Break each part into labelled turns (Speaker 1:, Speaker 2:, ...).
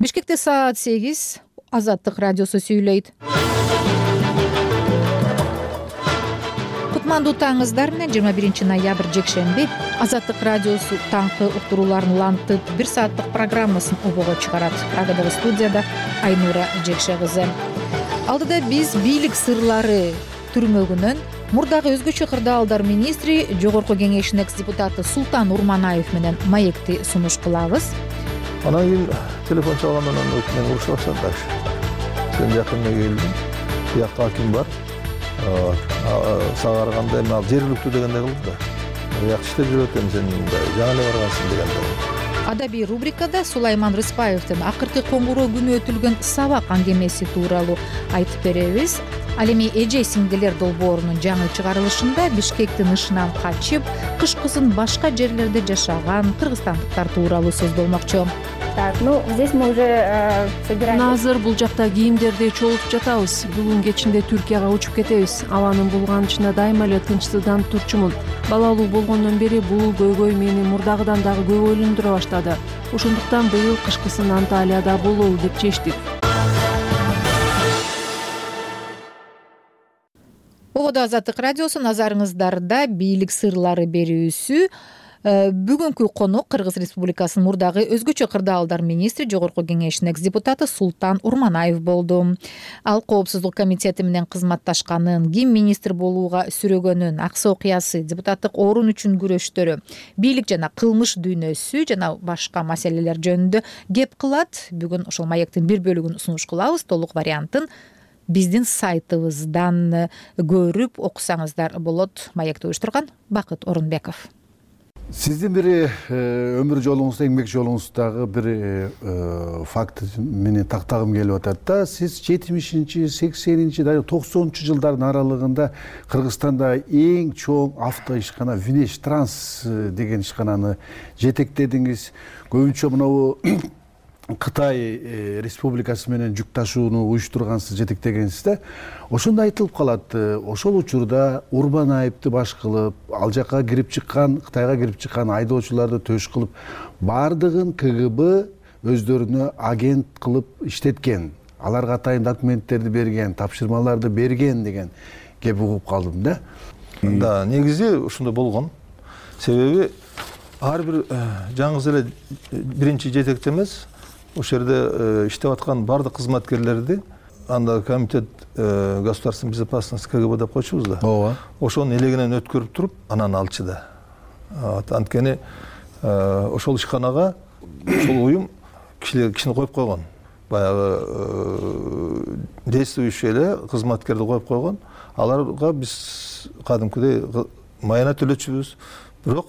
Speaker 1: Бишкекте саат 8. Азаттык радиосу сүйлөйт. Кутмандуу таңыңыздар менен 21 ноябрь жекшемби Азаттык радиосу таңкы уктурууларын улантып 1 сааттык программасын обого чыгарат. Агадагы студияда Айнура Жекше кызы. Алдыда биз бийлик сырлары түрмөгүнөн мурдагы өзгөчө кырдаалдар министри, Жогорку Кеңештин экс-депутаты Султан Урманаев менен маекти сунуш кылабыз.
Speaker 2: Анан кийин телефон чалгандан мен урушуп баштады. Сен жакында келдим. Биякта аким бар. Сага караганда эми ал жергиликтүү дегенде кылды да. Жакшы иштеп жүрөт эми сен жаңы эле баргансың дегенде.
Speaker 1: Адабий рубрикада Сулайман Рыспаевдин акыркы коңгуроо күнү өтүлгөн сабак аңгемеси тууралуу айтып беребиз. Ал эми эже сиңдилер долбоорунун жаңы чыгарылышында Бишкектин ышынан качып, кышкысын башка жерлерде жашаган кыргызстандыктар тууралуу сөз болмокчу.
Speaker 3: Так, здесь мы уже собираем.
Speaker 4: Азыр бул жакта кийимдерди чогултуп жатабыз. Бүгүн кечинде Түркияга учуп кетебиз. Абанын булганычына дайыма эле тынчсызданып турчумун. Балалуу болгондон бери бул көйгөй мени мурдагыдан дагы көп ойлондура баштады. Ошондуктан быйыл кышкысын Анталияда бололу деп чечтик.
Speaker 1: Ободо Азаттык радиосу назарыңыздарда бийлик сырлары берүүсү. Бүгүнкү конок Кыргыз Республикасынын мурдагы өзгөчө кырдаалдар министри, Жогорку Кеңештин экс-депутаты Султан Урманаев болду. Ал Коопсуздук комитети менен кызматташканын, ким министр болууга сүрөгөнүн, аксы окуясы, депутаттык орун үчүн күрөштөрү, бийлик жана кылмыш дүйнөсү жана башка маселелер жөнүндө кеп кылат. Бүгүн ошол маектин бир бөлүгүн сунуш кылабыз. Толук вариантын биздин сайтыбыздан көрүп окусаңыздар болот. Маекти уюштурган Бакыт Орунбеков.
Speaker 5: Сиздин бир өмүр жолуңузда, эмгек жолуңуздагы бир факт менен тактагым келип атат да. Сиз 70-чи, 80-чи, 90-чу жылдардын аралыгында Кыргызстанда эң чоң авто ишкана Винеш Транс деген ишкананы жетектедиңиз. Көбүнчө мынабу Кытай республикасы менен жүк ташууну уюштургансыз, жетектегенсиз да. Ошондо айтылып калат, ошол учурда Урманаевди баш кылып, ал жака кирип чыккан, Кытайга кирип чыккан айдоочуларды төш кылып, бардыгын КГБ өздөрүнө агент кылып иштеткен. Аларга атайын документтерди берген, тапшырмаларды берген деген кеп угуп калдым да.
Speaker 2: Да, негизи ушундай болгон. Себеби ар бир жаңы эле биринчи жетекчи эмес, ошол жерде иштеп аткан бардык кызматкерлерди анда комитет государственной безопасности КГБ деп койчубуз да.
Speaker 5: Ооба.
Speaker 2: Ошонун элегинен өткөрүп туруп, анан алчы да. Анткени ошол ишканага ошол уюм кишини коюп койгон. Баягы действующий эле кызматкерди коюп койгон. Аларга биз кадимкидей майына төлөчүбүз. Бирок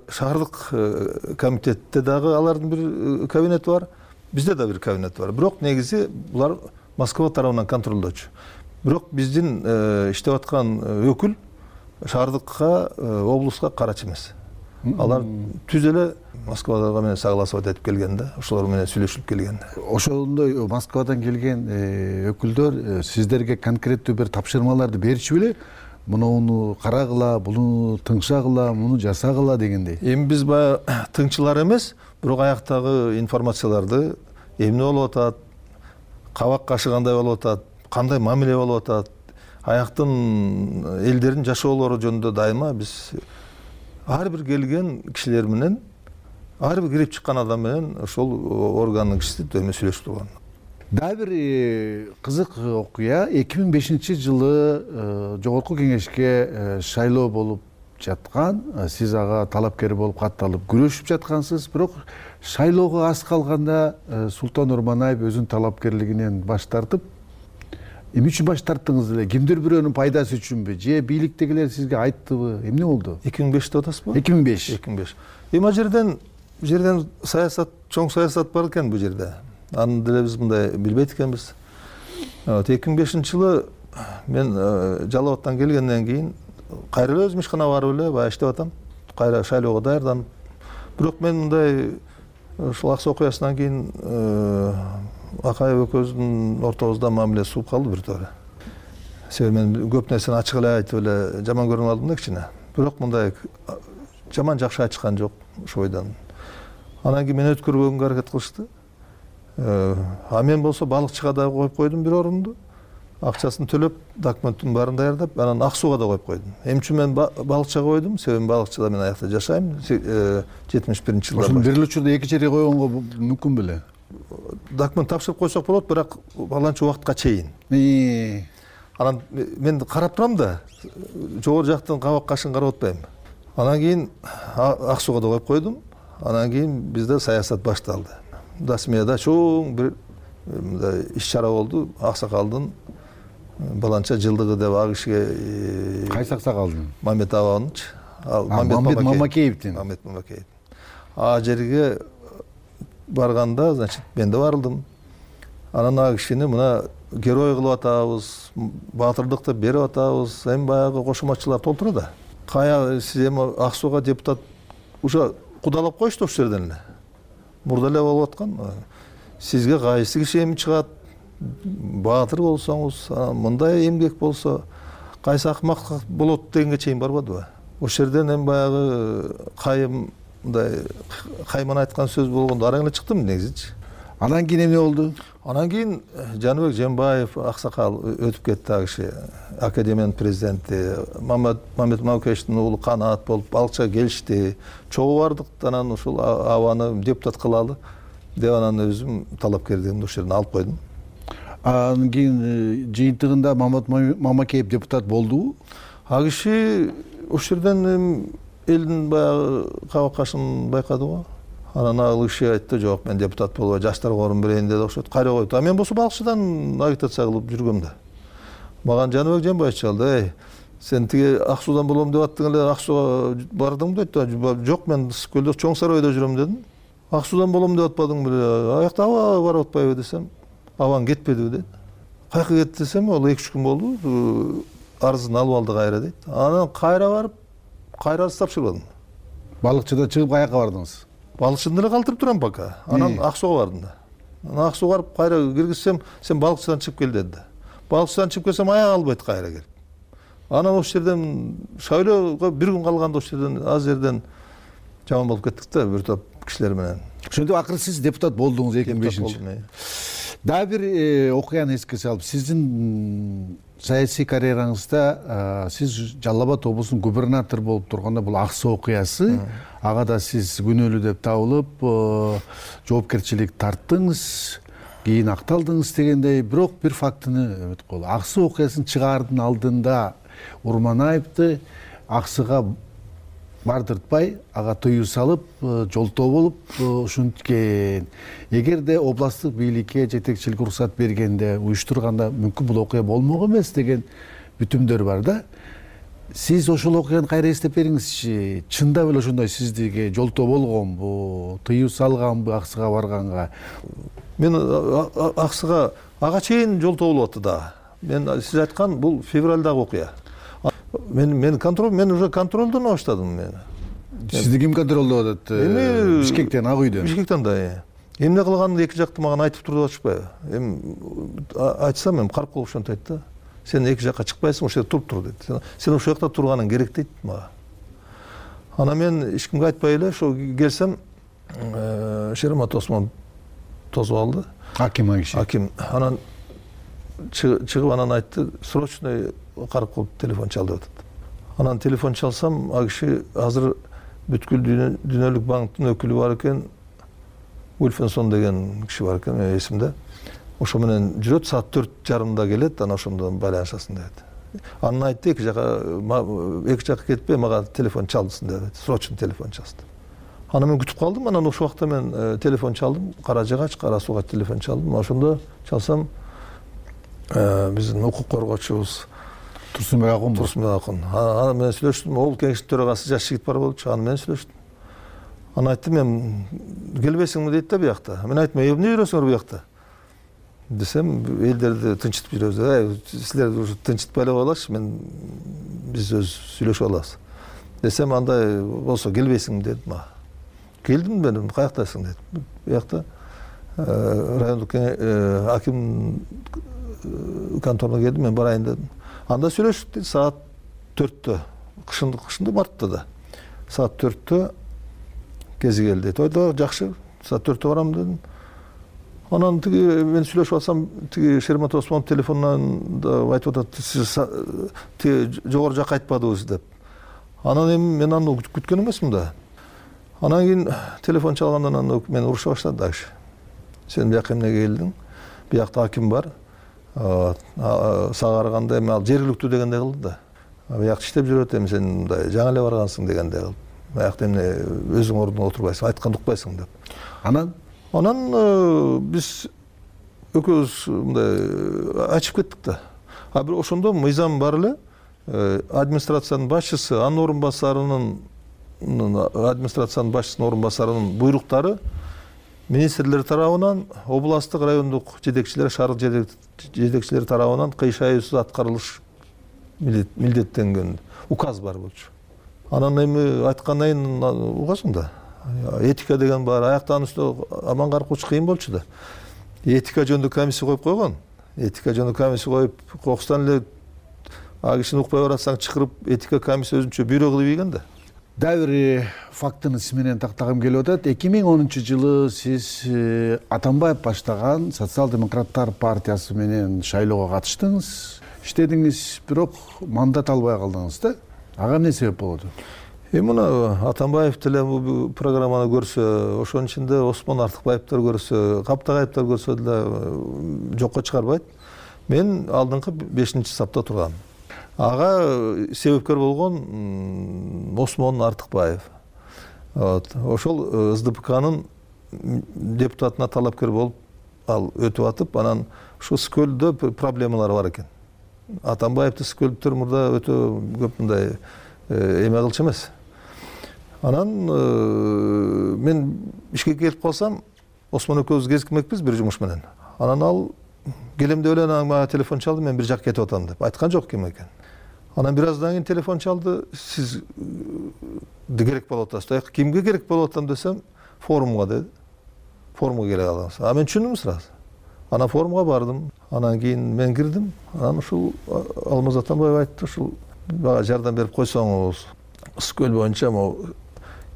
Speaker 2: шаардык комитетте дагы алардын бир кабинети бар, бизде да бир кабинет бар. Бирок негизи булар Москва тарабынан контролдочу. Бирок биздин иштеп аткан өкүл шаардыкка, облуска карачы эмес. Алар түз эле Москвага менен согласовать этип келген да, ошолор менен сүйлөшүп келген.
Speaker 5: Ошондой Москвадан келген өкүлдөр сиздерге конкреттүү бир тапшырмаларды берчү беле? Муну карагыла, буну тыңшагыла, муну жасагыла дегендей.
Speaker 2: Эми биз баягы тыңчылар эмес, бирок аяктагы информацияларды эмне болуп атат, кабак кашы кандай болуп атат, кандай мамиле болуп атат, аяктын элдердин жашоолору жөнүндө дайыма биз ар бир келген кишилер менен, ар бир кирип чыккан адам менен ошол органдын кишиси дөймө сүйлөшүп турган.
Speaker 5: Дагы бир кызык окуя, 2005-жылы Жогорку Кеңешке шайлоо болуп жаткан, сиз ага талапкер болуп катталып күрөшүп жаткансыз, бирок шайлоого аз калганда Султан Урманаев өзүнүн талапкерлигинен баш тартып, эмне үчүн баш тарттыңыз эле? Кимдир бирөөнүн пайдасы үчүнбү? Же бийликтегилер сизге айттыбы? Эмне болду?
Speaker 2: 2005 деп атасызбы?
Speaker 5: 2005.
Speaker 2: Эми жерден саясат, чоң саясат бар экен бул жерде. Аны деле биз мындай билбейт экенбиз. 2005-жылы мен Жалал-Абадтан келгенден кийин кайра өзүм ишканага барып эле баягы иштеп атам. Кайра шайлоого даярданып. Бирок мен мындай ушул аксы окуясынан кийин Акаев экөөбүздүн ортобузда мамиле сууп калды бир туура. Себеби мен көп нерсени ачык эле айтып эле жаман көрүнүп алдым да кичине. Бирок мындай жаман жакшы ачкан жок ошол бойдон. Анан кийин мени өткөрбөгөнгө аракет кылышты. А мен болсо балыкчыга да коюп койдум бир орунду. Акчасын төлөп, документтин баарын даярдап, анан ак сууга да коюп койдум. Эмне үчүн мен балыкчыга койдум? Себеби балыкчыда мен аякта жашайм. 71-жылдар.
Speaker 5: Ошону бир эле учурда эки жерге койгонго мүмкүн беле?
Speaker 2: Документ тапшырып койсок болот, бирок баланча убакытка чейин. Анан мен карап турам да, жогору жактан кабак кашын карап атпайм. Анан кийин ак сууга да коюп койдум. Анан кийин бизде саясат башталды. Дасмияда чоң бир иш-чара болду. Аксакалдын баланча жылдыгы деп ал кишиге.
Speaker 5: Кайсы аксакалдын?
Speaker 2: Мамет Абанович.
Speaker 5: Мамет Мамакеевдин.
Speaker 2: Мамет Мамакеев. А жерге барганда, значит, мен да барылдым. Анан ал кишини мына герой кылып атабыз, баатырдыкты берип атабыз, эми баягы кошуматчылар толтура да. Кая сиз эми ак сууга депутат уже кудалап коюшту ошол жерден эле. Мурда эле болуп аткан. Сизге кайсы киши эми чыгат? Баатыр болсоңуз, мындай эмгек болсо, кайсы акмак болот дегенге чейин барбадыбы? Ошол жерден эми баягы кайымдай кайман айткан сөз болгондо араң эле чыктым негизичи.
Speaker 5: Анан кийин эмне болду?
Speaker 2: Анан кийин Жаныбек Жембаев аксакал өтүп кетти, ал киши академиянын президенти. Мамет Мамакеевдин уулу Канаат болуп балыкчыга келишти. Чогуу бардык, анан ушул абаны депутат кылалы деп анан өзүм талапкерлигимди ошол жерден алып койдум.
Speaker 5: Анан кийин жыйынтыгында Мамет Мамакеев депутат болдубу?
Speaker 2: Ал киши ошол жерден элдин баягы кабак кашын байкады го. Анан ал киши айтты, жок, мен депутат болбой жаштарга орун берейин деди, окшойт, кайра койду. А мен болсо балыкчыдан агитация кылып жүргөм да. Мага Жаныбек Жембаев чалды, сен тиги ак суудан болом деп аттың эле, ак сууга бардыңбы дейт. Жок, мен Ысык-Көлдө Чоң Сарайда жүрөм дедим. Ак суудан болом деп атпадың беле? Аякта аба барып атпайбы десем, абаң кетпедиби дейт. Кайка кетти десем, ал 2-3 күн болду, арызын алып алды кайра дейт. Анан кайра барып, кайра арыз тапшырбадым.
Speaker 5: Балыкчыда чыгып каяка бардыңыз?
Speaker 2: Балыкчыны эле калтырып турам пока. Анан ак сууга бардым да. Анан ак сууга барып кайра киргизсем, сен балыкчыдан чыгып кел деди. Балыкчыдан чыгып келсем, аяк албайт кайра келип. Анан ошол жерден шайлоого бир күн калганда ошол жерден аз жерден жаман болуп кеттик да, бир топ кишилер менен.
Speaker 5: Ошентип акыры сиз депутат болдуңуз 2005-жылы. Дагы бир окуяны эске салып, сиздин саясий карьераңызда сиз Жалал Абад облусунун губернатор болуп турганда бул Аксы окуясы, ага да сиз күнөөлүү деп табылып, жоопкерчилик тарттыңыз, кийин акталдыңыз дегендей, бирок бир фактыны эметип коелу. Аксы окуясын чыгаардын алдында Урманаевди Аксыга бардыртпай, ага тыюу салып, жолтоо болуп ушинткен. Эгерде областтык бийликке жетекчилик уруксат бергенде, уюштурганда мүмкүн бул окуя болмок эмес деген бүтүмдөр бар да. Сиз ошол окуяны кайра эстеп бериңизчи. Чындап эле ошондой сиздиге жолтоо болгонбу, тыюу салганбы Аксыга барганга?
Speaker 2: Мен Аксыга ага чейин жолтоо болуп атты да. Мен сиз айткан бул февралдагы окуя. Мен уже контролдон баштадым мен.
Speaker 5: Сизди ким контролдоп атат? Бишкектен, Ак үйдөн.
Speaker 2: Бишкектен да. Эмне кылганын эки жакты мага айтып туруп атышпайбы? Эми айтсам эми карып калып ошентип айтты. Сен эки жакка чыкпайсың, ошол жерде туруп тур дейт. Сен ошол жакта турганың керек дейт мага. Анан мен эч кимге айтпай эле ошо келсем, Шеремат Осмон тосуп алды.
Speaker 5: Аким киши.
Speaker 2: Аким. Анан чыгып анан айтты, срочный карап калып телефон чал деп атат. Анан телефон чалсам, ал киши азыр бүткүл дүйнөлүк банктын өкүлү бар экен, Ульфенсон деген киши бар экен, эсимде. Ошо менен жүрөт, саат 4:30 келет, анан ошондон байланышасың деп. Анан айтты, эки жакка кетпей, мага телефон чалдысың деп. Срочный телефон чалды. Анан мен күтүп калдым, анан ошол убакта мен телефон чалдым, Кара Жыгач, Кара Сууга телефон чалдым. Ошондо чалсам, биздин укук коргоочубуз
Speaker 5: Турсунбек Акун.
Speaker 2: Турсунбек Акун. Анан мен сүйлөштүм, ол кеңештин төрагасы жаш жигит бар болчу, анан мен сүйлөштүм. Анан айттым, мен келбейсиңби дейт да биякта. Мен айттым, эмне жүрөсүңөр биякта? Десем, элдерди тынчытып жүрөбүз. Силер уже тынчытпай эле коелачы, биз өз сүйлөшүп алабыз. Десем, андай болсо келбейсиңби деди мага. Келдим мен, каяктасың деди. Биякта райондук аким конторуна келдим, мен барайын дедим. Анда сүйлөшүп саат 4-тө, кышында мартта да. Саат 4-тө кези келди. Тойдо жакшы, саат 4-тө барам дедим. Анан тиги мен сүйлөшүп атсам, тиги Шермат Осмонов телефонунан да айтып атат, сиз тиги жогору жакка айтпадыңыз деп. Анан эми мен аны күткөн эмесмин да. Анан кийин телефон чалгандан аны мен уруша баштады дагы. Сен бияка эмнеге келдиң? Биякта аким бар. Сага караганда эми ал жергиликтүү дегендей кылды да. Биякта иштеп жүрөт, эми сен мындай жаңы эле баргансың дегендей кылды. Биякта эмне өзүң ордуңда отурбайсың, айтканды укпайсың деп. Анан биз экөөбүз мындай ачып кеттик да. А бирок ошондо мыйзам бар эле. Администрациянын башчысы, анын орун басарынын буйруктары министрлер тарабынан, областтык, райондук жетекчилер, шаардык жетекчилери тарабынан кыйшайуусуз аткарылыш милдеттенген указ бар болчу. Анан эми айткандан кийин угасың да. Этика деген бар, аяктан үстү аман каркуучу кыйын болчу да. Этика жөнүндө комиссия коюп койгон. Этика жөнүндө комиссия коюп, кокустан эле а кишини укпай баратсаң чакырып, этика комиссия өзүнчө бюро кылып ийген да.
Speaker 5: Дагы бир фактыны сиз менен тактагым келип атат. 2010-жылы сиз Атамбаев баштаган Социал-демократтар партиясы менен шайлоого катыштыңыз, иштедиңиз, бирок мандат албай калдыңыз да. Ага эмне себеп болду?
Speaker 2: Мына Атамбаев деле бул программаны көрсө, ошонун ичинде Осмон Артыкбаевдер көрсө, Каптагаевдер көрсө деле жокко чыгарбайт. Мен алдыңкы 5-сапта тургам. Ага себепкер болгон Осмон Артыкбаев. Ошол СДПКнын депутатына талапкер болуп ал өтүп атып, анан ошо Скөлдө проблемалар бар экен. Атамбаевди Скөлдөр мурда өтө көп мындай эме кылчу эмес. Анан мен ишке келип калсам, Осмон экөөбүз кезикмекпиз бир жумуш менен. Анан ал келем деп эле мага телефон чалды, мен бир жакка кетип атам деп. Айткан жок ким экен. Анан бир аздан кийин телефон чалды, сиз керек болуп атасыз. Кимге керек болуп атам десем, форумга деди. Форумга келе калдыңыз. А мен түшүндүм сразу. Анан форумга бардым. Анан кийин мен кирдим. Анан ушул Алмаз Атамбаев айтты, ушул бага жардам берип койсоңуз, Скөл боюнча могу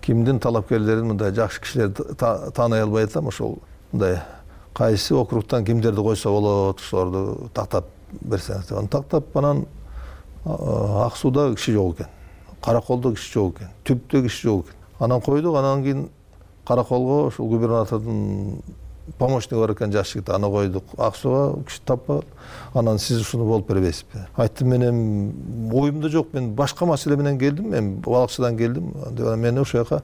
Speaker 2: кимдин талапкерлерин мындай жакшы кишилерди тааный албай атам, ошол мындай кайсы округтан кимдерди койсо болот, ошолорду тактап берсеңиз деп. Аны тактап, анан Ак сууда киши жок экен, Караколдо киши жок экен, Түптө киши жок экен. Анан койдук, анан кийин Караколго ошол губернатордун помощниги бар экен, жаш жигит, аны койдук. Ак сууга киши таппай. Анан сиз ушуну болуп бербейсизби? Айттым, мен эми оюмда жок, мен башка маселе менен келдим, мен балыкчыдан келдим. Мен ошол жака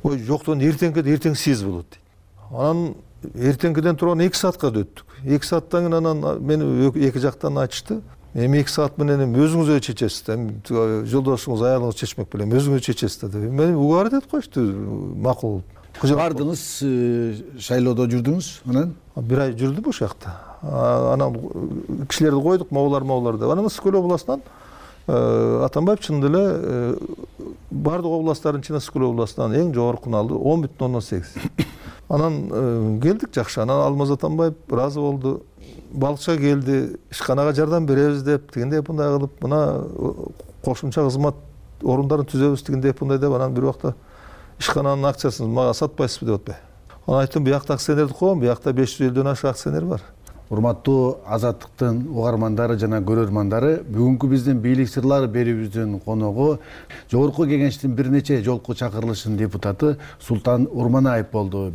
Speaker 2: ой жоктон эртең сиз болот дейт. Анан эртеңкиден турган 2 саатка өттүк. 2 сааттан кийин анан мени эки жактан айтышты. Эми 2 саат менен өзүңүз эле чечесиз да. Жолдошуңуз, аялыңыз чечмек белем, өзүңүз чечесиз да деп. Мен угар деп коюшту, макул.
Speaker 5: Бардыңыз, шайлоодо жүрдүңүз, анан?
Speaker 2: 1 ай жүрдүм ошол жакта. Анан кишилерди койдук, моулар деп. Анан Скөл областынан Атамбаев чын эле бардык областтардын ичинде Скөл областынан эң жогоркуну алды, 10,8. Анан келдик жакшы. Анан Алмаз Атамбаев ыраазы болду. Балыкчыга келди, ишканага жардам беребиз деп, тигиндей мындай кылып, мына кошумча кызмат орундарын түзөбүз, тигиндей мындай деп, анан бир убакта ишкананын акциясын мага сатпайсызбы деп атпайбы. Анан айттым, биякта акционерди коем, биякта 550ден ашык акционер бар.
Speaker 5: Урматтуу Азаттыктын угармандары жана көрөрмандары, бүгүнкү биздин бийлик сырлары берүүбүздүн коногу Жогорку Кеңештин бир нече жолку чакырылышынын депутаты Султан Урманаев болду.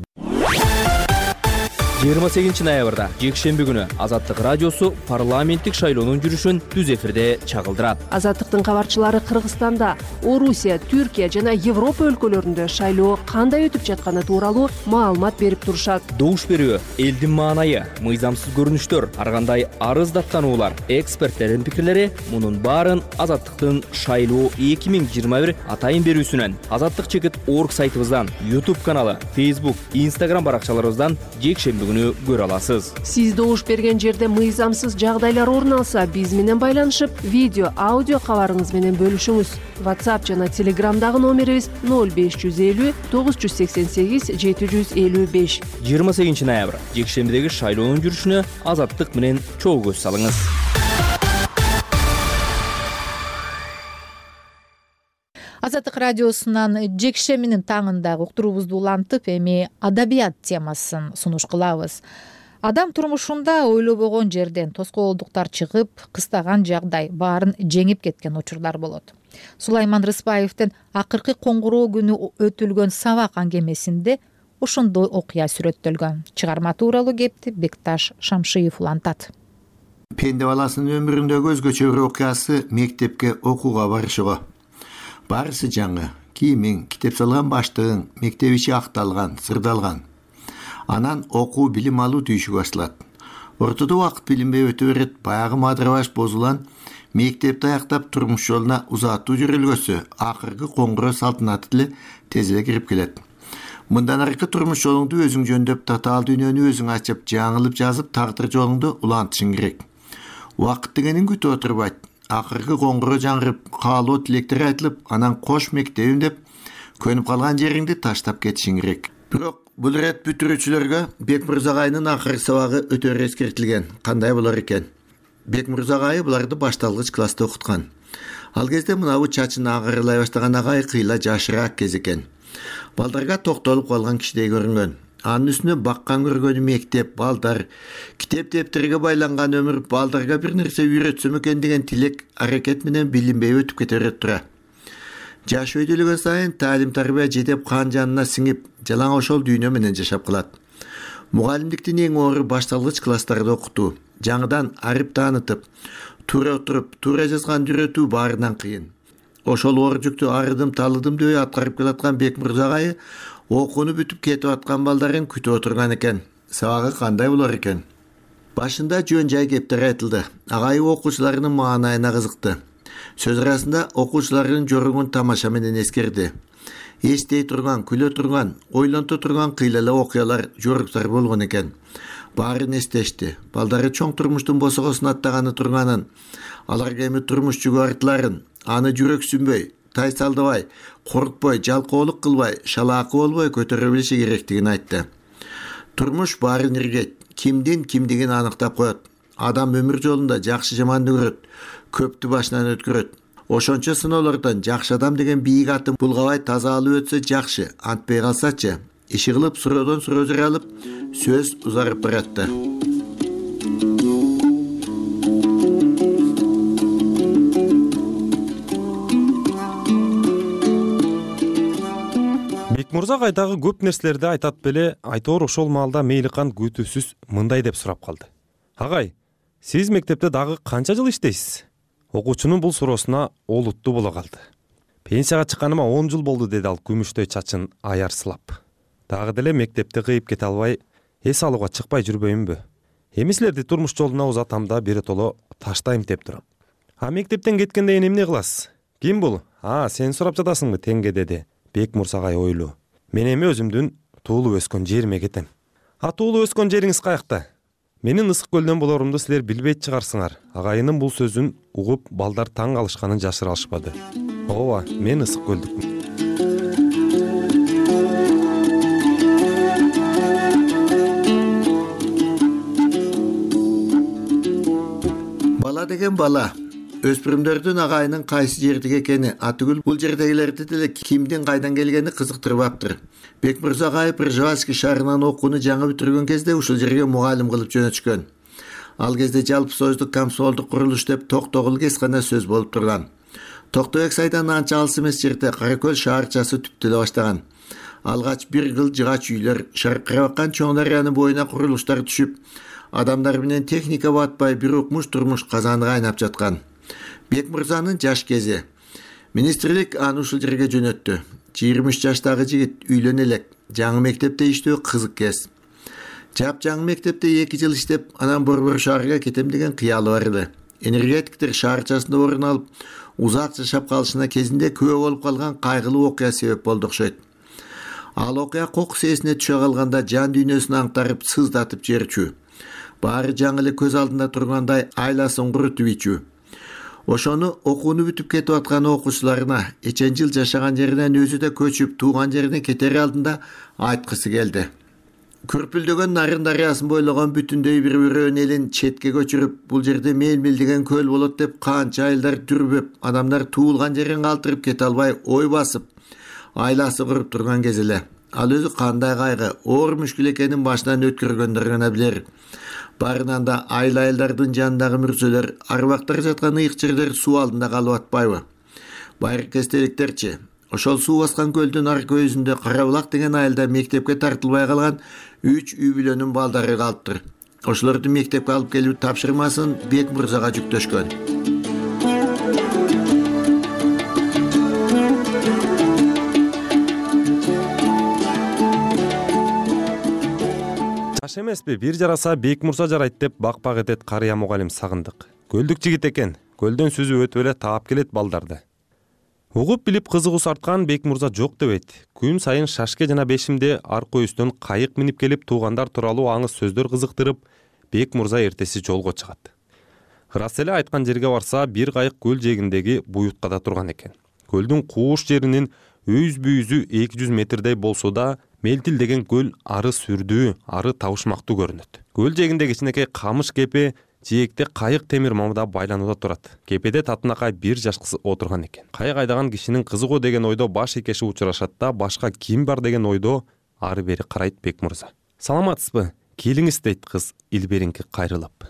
Speaker 6: 28 ноябрда жекшемби күнү Азаттык радиосу парламенттик шайлоонун жүрүшүн түз эфирде чагылдырат.
Speaker 4: Азаттыктын кабарчылары Кыргызстанда, Орусия, Түркия жана Европа өлкөлөрүндө шайлоо кандай өтүп жатканы тууралуу маалымат берип турушат.
Speaker 6: Добуш берүү, элдин маанайы, мыйзамсыз көрүнүштөр, ар кандай арыз даттануулар, эксперттердин пикирлери мунун баарын Азаттыктын шайлоо 2021 атайын берүүсүнөн, azattik.org сайтыбыздан, YouTube каналы, Facebook, Instagram баракчаларыбыздан жекшемби көрө аласыз.
Speaker 4: Сиз добуш берген жерде мыйзамсыз жагдайлар орун алса, биз менен байланышып, видео, аудио кабарыңыз менен бөлүшүңүз. WhatsApp жана Telegramдагы номерибиз 0550 988 755.
Speaker 6: 28 ноябрь жекшембидеги шайлоонун жүрүшүнө Азаттык менен чогуу көз салыңыз.
Speaker 1: Азаттык радиосунан жекшембинин таңындагы уктуруубузду улантып, эми адабият темасын сунуш кылабыз. Адам турмушунда ойлобогон жерден тоскоолдуктар чыгып, кыстаган жагдай баарын жеңип кеткен учурлар болот. Сулайман Рыспаевдин акыркы коңгуроо күнү өтүлгөн сабак аңгемесинде ошондой окуя сүрөттөлгөн. Чыгарма тууралуу кепти Бекташ Шамшиев улантат.
Speaker 7: Пенде баласынын өмүрүндөгү өзгөчө бир окуясы мектепке окууга барышыгы. Барысы жаңы, кийимиң, китеп салган баштыгың, мектеп ичи акталган, сырдалган. Анан окуу, билим алуу түйшүгү башталат. Ортодо убакыт билинбей өтө берет, баягы мадырабаш бозулан мектепти аяктап турмуш жолуна узаттуу жүрүлгөсү акыркы коңгуроо салтанаты деле тез эле кирип келет. Мындан аркы турмуш жолуңду өзүң жөндөп, татаал дүйнөнү өзүң ачып, жаңылып жазып, тагдыр жолуңду улантышың керек. Убакыт дегенин күтүп отурбайт. Акыркы коңгуроо жаңырып, каалоо тилектер айтылып, анан кош мектебим деп көнүп калган жериңди таштап кетишиң керек. Бирок бул ирет бүтүрүүчүлөргө Бекмырза агайнын акыркы сабагы өтө эскертилген. Кандай болор экен? Бекмырза агай буларды башталгыч класста окуткан. Ал кезде мынабу чачын агырылай баштаган агай кыйла жашыраак кез экен. Балдарга токтолуп калган кишидей көрүнгөн. Анын үстүнө баккан көргөнү мектеп, балдар, китеп дептерге байланган өмүр балдарга бир нерсе үйрөтсөм экен деген тилек, аракет менен билинбей өтүп кете берет тура. Жаш өйдөлөгөн сайын таалим тарбия жетеп кан жанына сиңип, жалаң ошол дүйнө менен жашап калат. Мугалимдиктин эң оору башталгыч класстарда окутуу, жаңыдан арип таанытып, туура отуруп, туура жазган үйрөтүү баарынан кыйын. Ошол оор жүктү арыдым талыдым дебей аткарып келаткан Бекмырза агайы окууну бүтүп кетип аткан балдарын күтүп отурган экен. Сабагы кандай болор экен? Башында жөн жай кептер айтылды. Агайы окуучуларынын маанайына кызыкты. Сөз арасында окуучуларынын жоругун тамаша менен эскерди. Эстей турган, күлө турган, ойлонто турган кыйла эле окуялар, жоруктар болгон экен. Баарын эстешти. Балдары чоң турмуштун босогосун аттаганы турганын, аларга эми турмуш жүгү артыларын, аны жүрөксүнбөй, тайсалдабай, коркпой, жалкоолук кылбай, шалаакы болбой көтөрө билиши керектигин айтты. Турмуш баарын иргейт, кимдин кимдигин аныктап коет. Адам өмүр жолунда жакшы жаманды көрөт, көптү башынан өткөрөт. Ошончо сыноолордон жакшы адам деген бийик атын булгабай таза алып өтсө жакшы, антпей калсачы. Иши кылып суроодон суроо жаралып, сөз узарып баратты.
Speaker 8: Бекмырза агайдагы көп нерселерди айтат беле, айтор ошол маалда Мейликан күтүүсүз мындай деп сурап калды. Агай, сиз мектепте дагы канча жыл иштейсиз? Окуучунун бул суроосуна олуттуу боло калды. Пенсияга чыкканыма 10 жыл болду, деди ал күмүштөй чачын аярсылап. Дагы деле мектепти кыйып кете албай, эс алууга чыкпай жүрбөймүнбү? Эми силерди турмуш жолуна узатам да биротоло таштайм деп турам. А мектептен кеткенде эмне кыласыз? Ким бул? Сен сурап жатасыңбы теңге, деди Бекмырза агай ойлуу. Мен эми өзүмдүн туулуп өскөн жериме кетем. Туулуп өскөн жериңиз каякта? Менин Ысык көлдөн болорумду силер билбейт чыгарсыңар. Агайынын бул сөзүн угуп балдар таң калышканын жашыра алышпады. Ооба, мен Ысык көлдүкмүн.
Speaker 7: Бала деген бала. Өспүрүмдөрдүн агайынын кайсы жердеги экени, атүгүл бул жердегилерди деле кимдин кайдан келгени кызыктырбаптыр. Бекмырза агай Пржевальский шаарынан окууну жаңы бүтүргөн кезде ушул жерге мугалим кылып жөнөтүшкөн. Ал кезде жалпы союздук комсомолдук курулуш деп Токтогул кез гана сөз болуп турган. Токтобек сайдан анча алыс эмес жерде Каракөл шаарчасы түптөлө баштаган. Алгач бир кыл жыгач үйлөр, шаркырап аккан чоң дарыянын боюна курулуштар түшүп, адамдар менен техника батпай бир укмуш турмуш казаны кайнап жаткан. Бекмырзанын жаш кези. Министрлик аны ушул жерге жөнөттү. 23 жаштагы жигит үйлөнө элек, жаңы мектепте иштөө кызык кез. Жап-жаңы мектепте 2 жыл иштеп, анан Борбор шаарга кетем деген кыялы бар эле. Энергетиктер шаарчасында орун алып, узак жашап калышына кезинде күбө болуп калган кайгылуу окуя себеп болду окшойт. Ал окуя кокус эсине түшө калганда жан дүйнөсүн аңтарып, сыздатып жиберчү. Баары жаңы эле көз алдында тургандай айласын курутуп ичүү. Ошону окууну бүтүп кетип аткан окуучуларына эчен жыл жашаган жеринен өзү да көчүп тууган жерине кетери алдында айткысы келди. Күрпүлдөгөн Нарын дарыясын бойлогон бүтүндөй бир бирөөнүн элин четке көчүрүп, бул жерде мелмил деген көл болот деп канча айылдар дүрбөп, адамдар туулган жерин калтырып кете албай ой басып, айласы куруп турган кез эле. Ал өзү кандай кайгы, оор мүшкүл экенин башынан өткөргөндөр гана билер. Барынан да айыл-айылдардын жанындагы мүрсөлөр, арбактар жаткан ыйык жерлер суу алдында калып атпайбы? Байыркы эстеликтерчи. Ошол суу баскан көлдүн ар көзүндө Карабулак деген айылда мектепке тартылбай калган 3 үй бүлөнүн балдары калыптыр. Ошолорду мектепке алып келүү тапшырмасын Бек мырзага жүктөшкөн.
Speaker 8: Жаш эмеспи, бир жараса Бек мырза жарайт деп бак этет карыя мугалим Сагындык. Көлдүк жигит экен, көлдөн сүзүп өтүп эле таап келет балдарды. Угуп билип кызыгуусу арткан Бек мырза жок дебейт. Күн сайын Шашке жана Бешимде аркы үстөн кайык минип келип туугандар тууралуу аңыз сөздөр кызыктырып, Бек мырза эртеси жолго чыгат. Ырас эле айткан жерге барса, бир кайык көл жээгиндеги буюткада турган экен. Көлдүн кууш жеринин өз-бүйүзү 200 метрдей болсо да, мелтилдеген көл ары сүрдүү, ары табышмактуу көрүнөт. Көл жээгинде кичинекей камыш кепе жээкте кайык темир мамда байланууда турат. Кепеде татынакай бир жаш кыз отурган экен. Кайык айдаган кишинин кызы го деген ойдо баш экеши учурашат да, башка ким бар деген ойдо ары бери карайт Бек мырза. Саламатсызбы? Келиңиз дейт кыз илберинки кайрылып.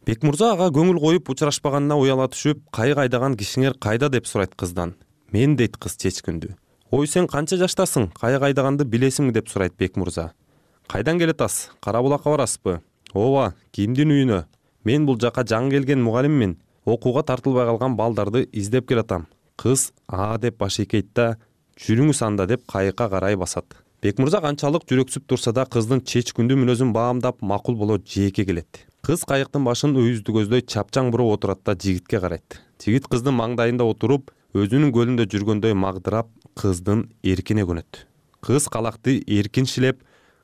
Speaker 8: Бек мырза ага көңүл коюп учурашпаганына уяла түшүп, кайык айдаган кишиңер кайда деп сурайт кыздан. Мен дейт кыз чечкүндүү. Ой, сен канча жаштасың? Кайык айдаганды билесиңби деп сурайт Бек мырза. Кайдан келатасыз? Карабулакка барасызбы? Ооба, кимдин үйүнө? Мен бул жака жаңы келген мугалиммин. Окууга тартылбай калган балдарды издеп келатам. Кыз деп баш ийкейт да, жүрүңүз анда деп кайыкка карай басат. Бек мырза канчалык жүрөксүп турса да, кыздын чечкүндүү мүнөзүн баамдап макул боло жээкке келет. Кыз кайыктын башын өйүздү көздөй чапчаң буруп отурат да жигитке карайт. Жигит кыздын маңдайында отуруп, өзүнүн көлүндө жүргөндөй магдырап, кыздын эркине көнөт. Кыз калакты эркин шилеп,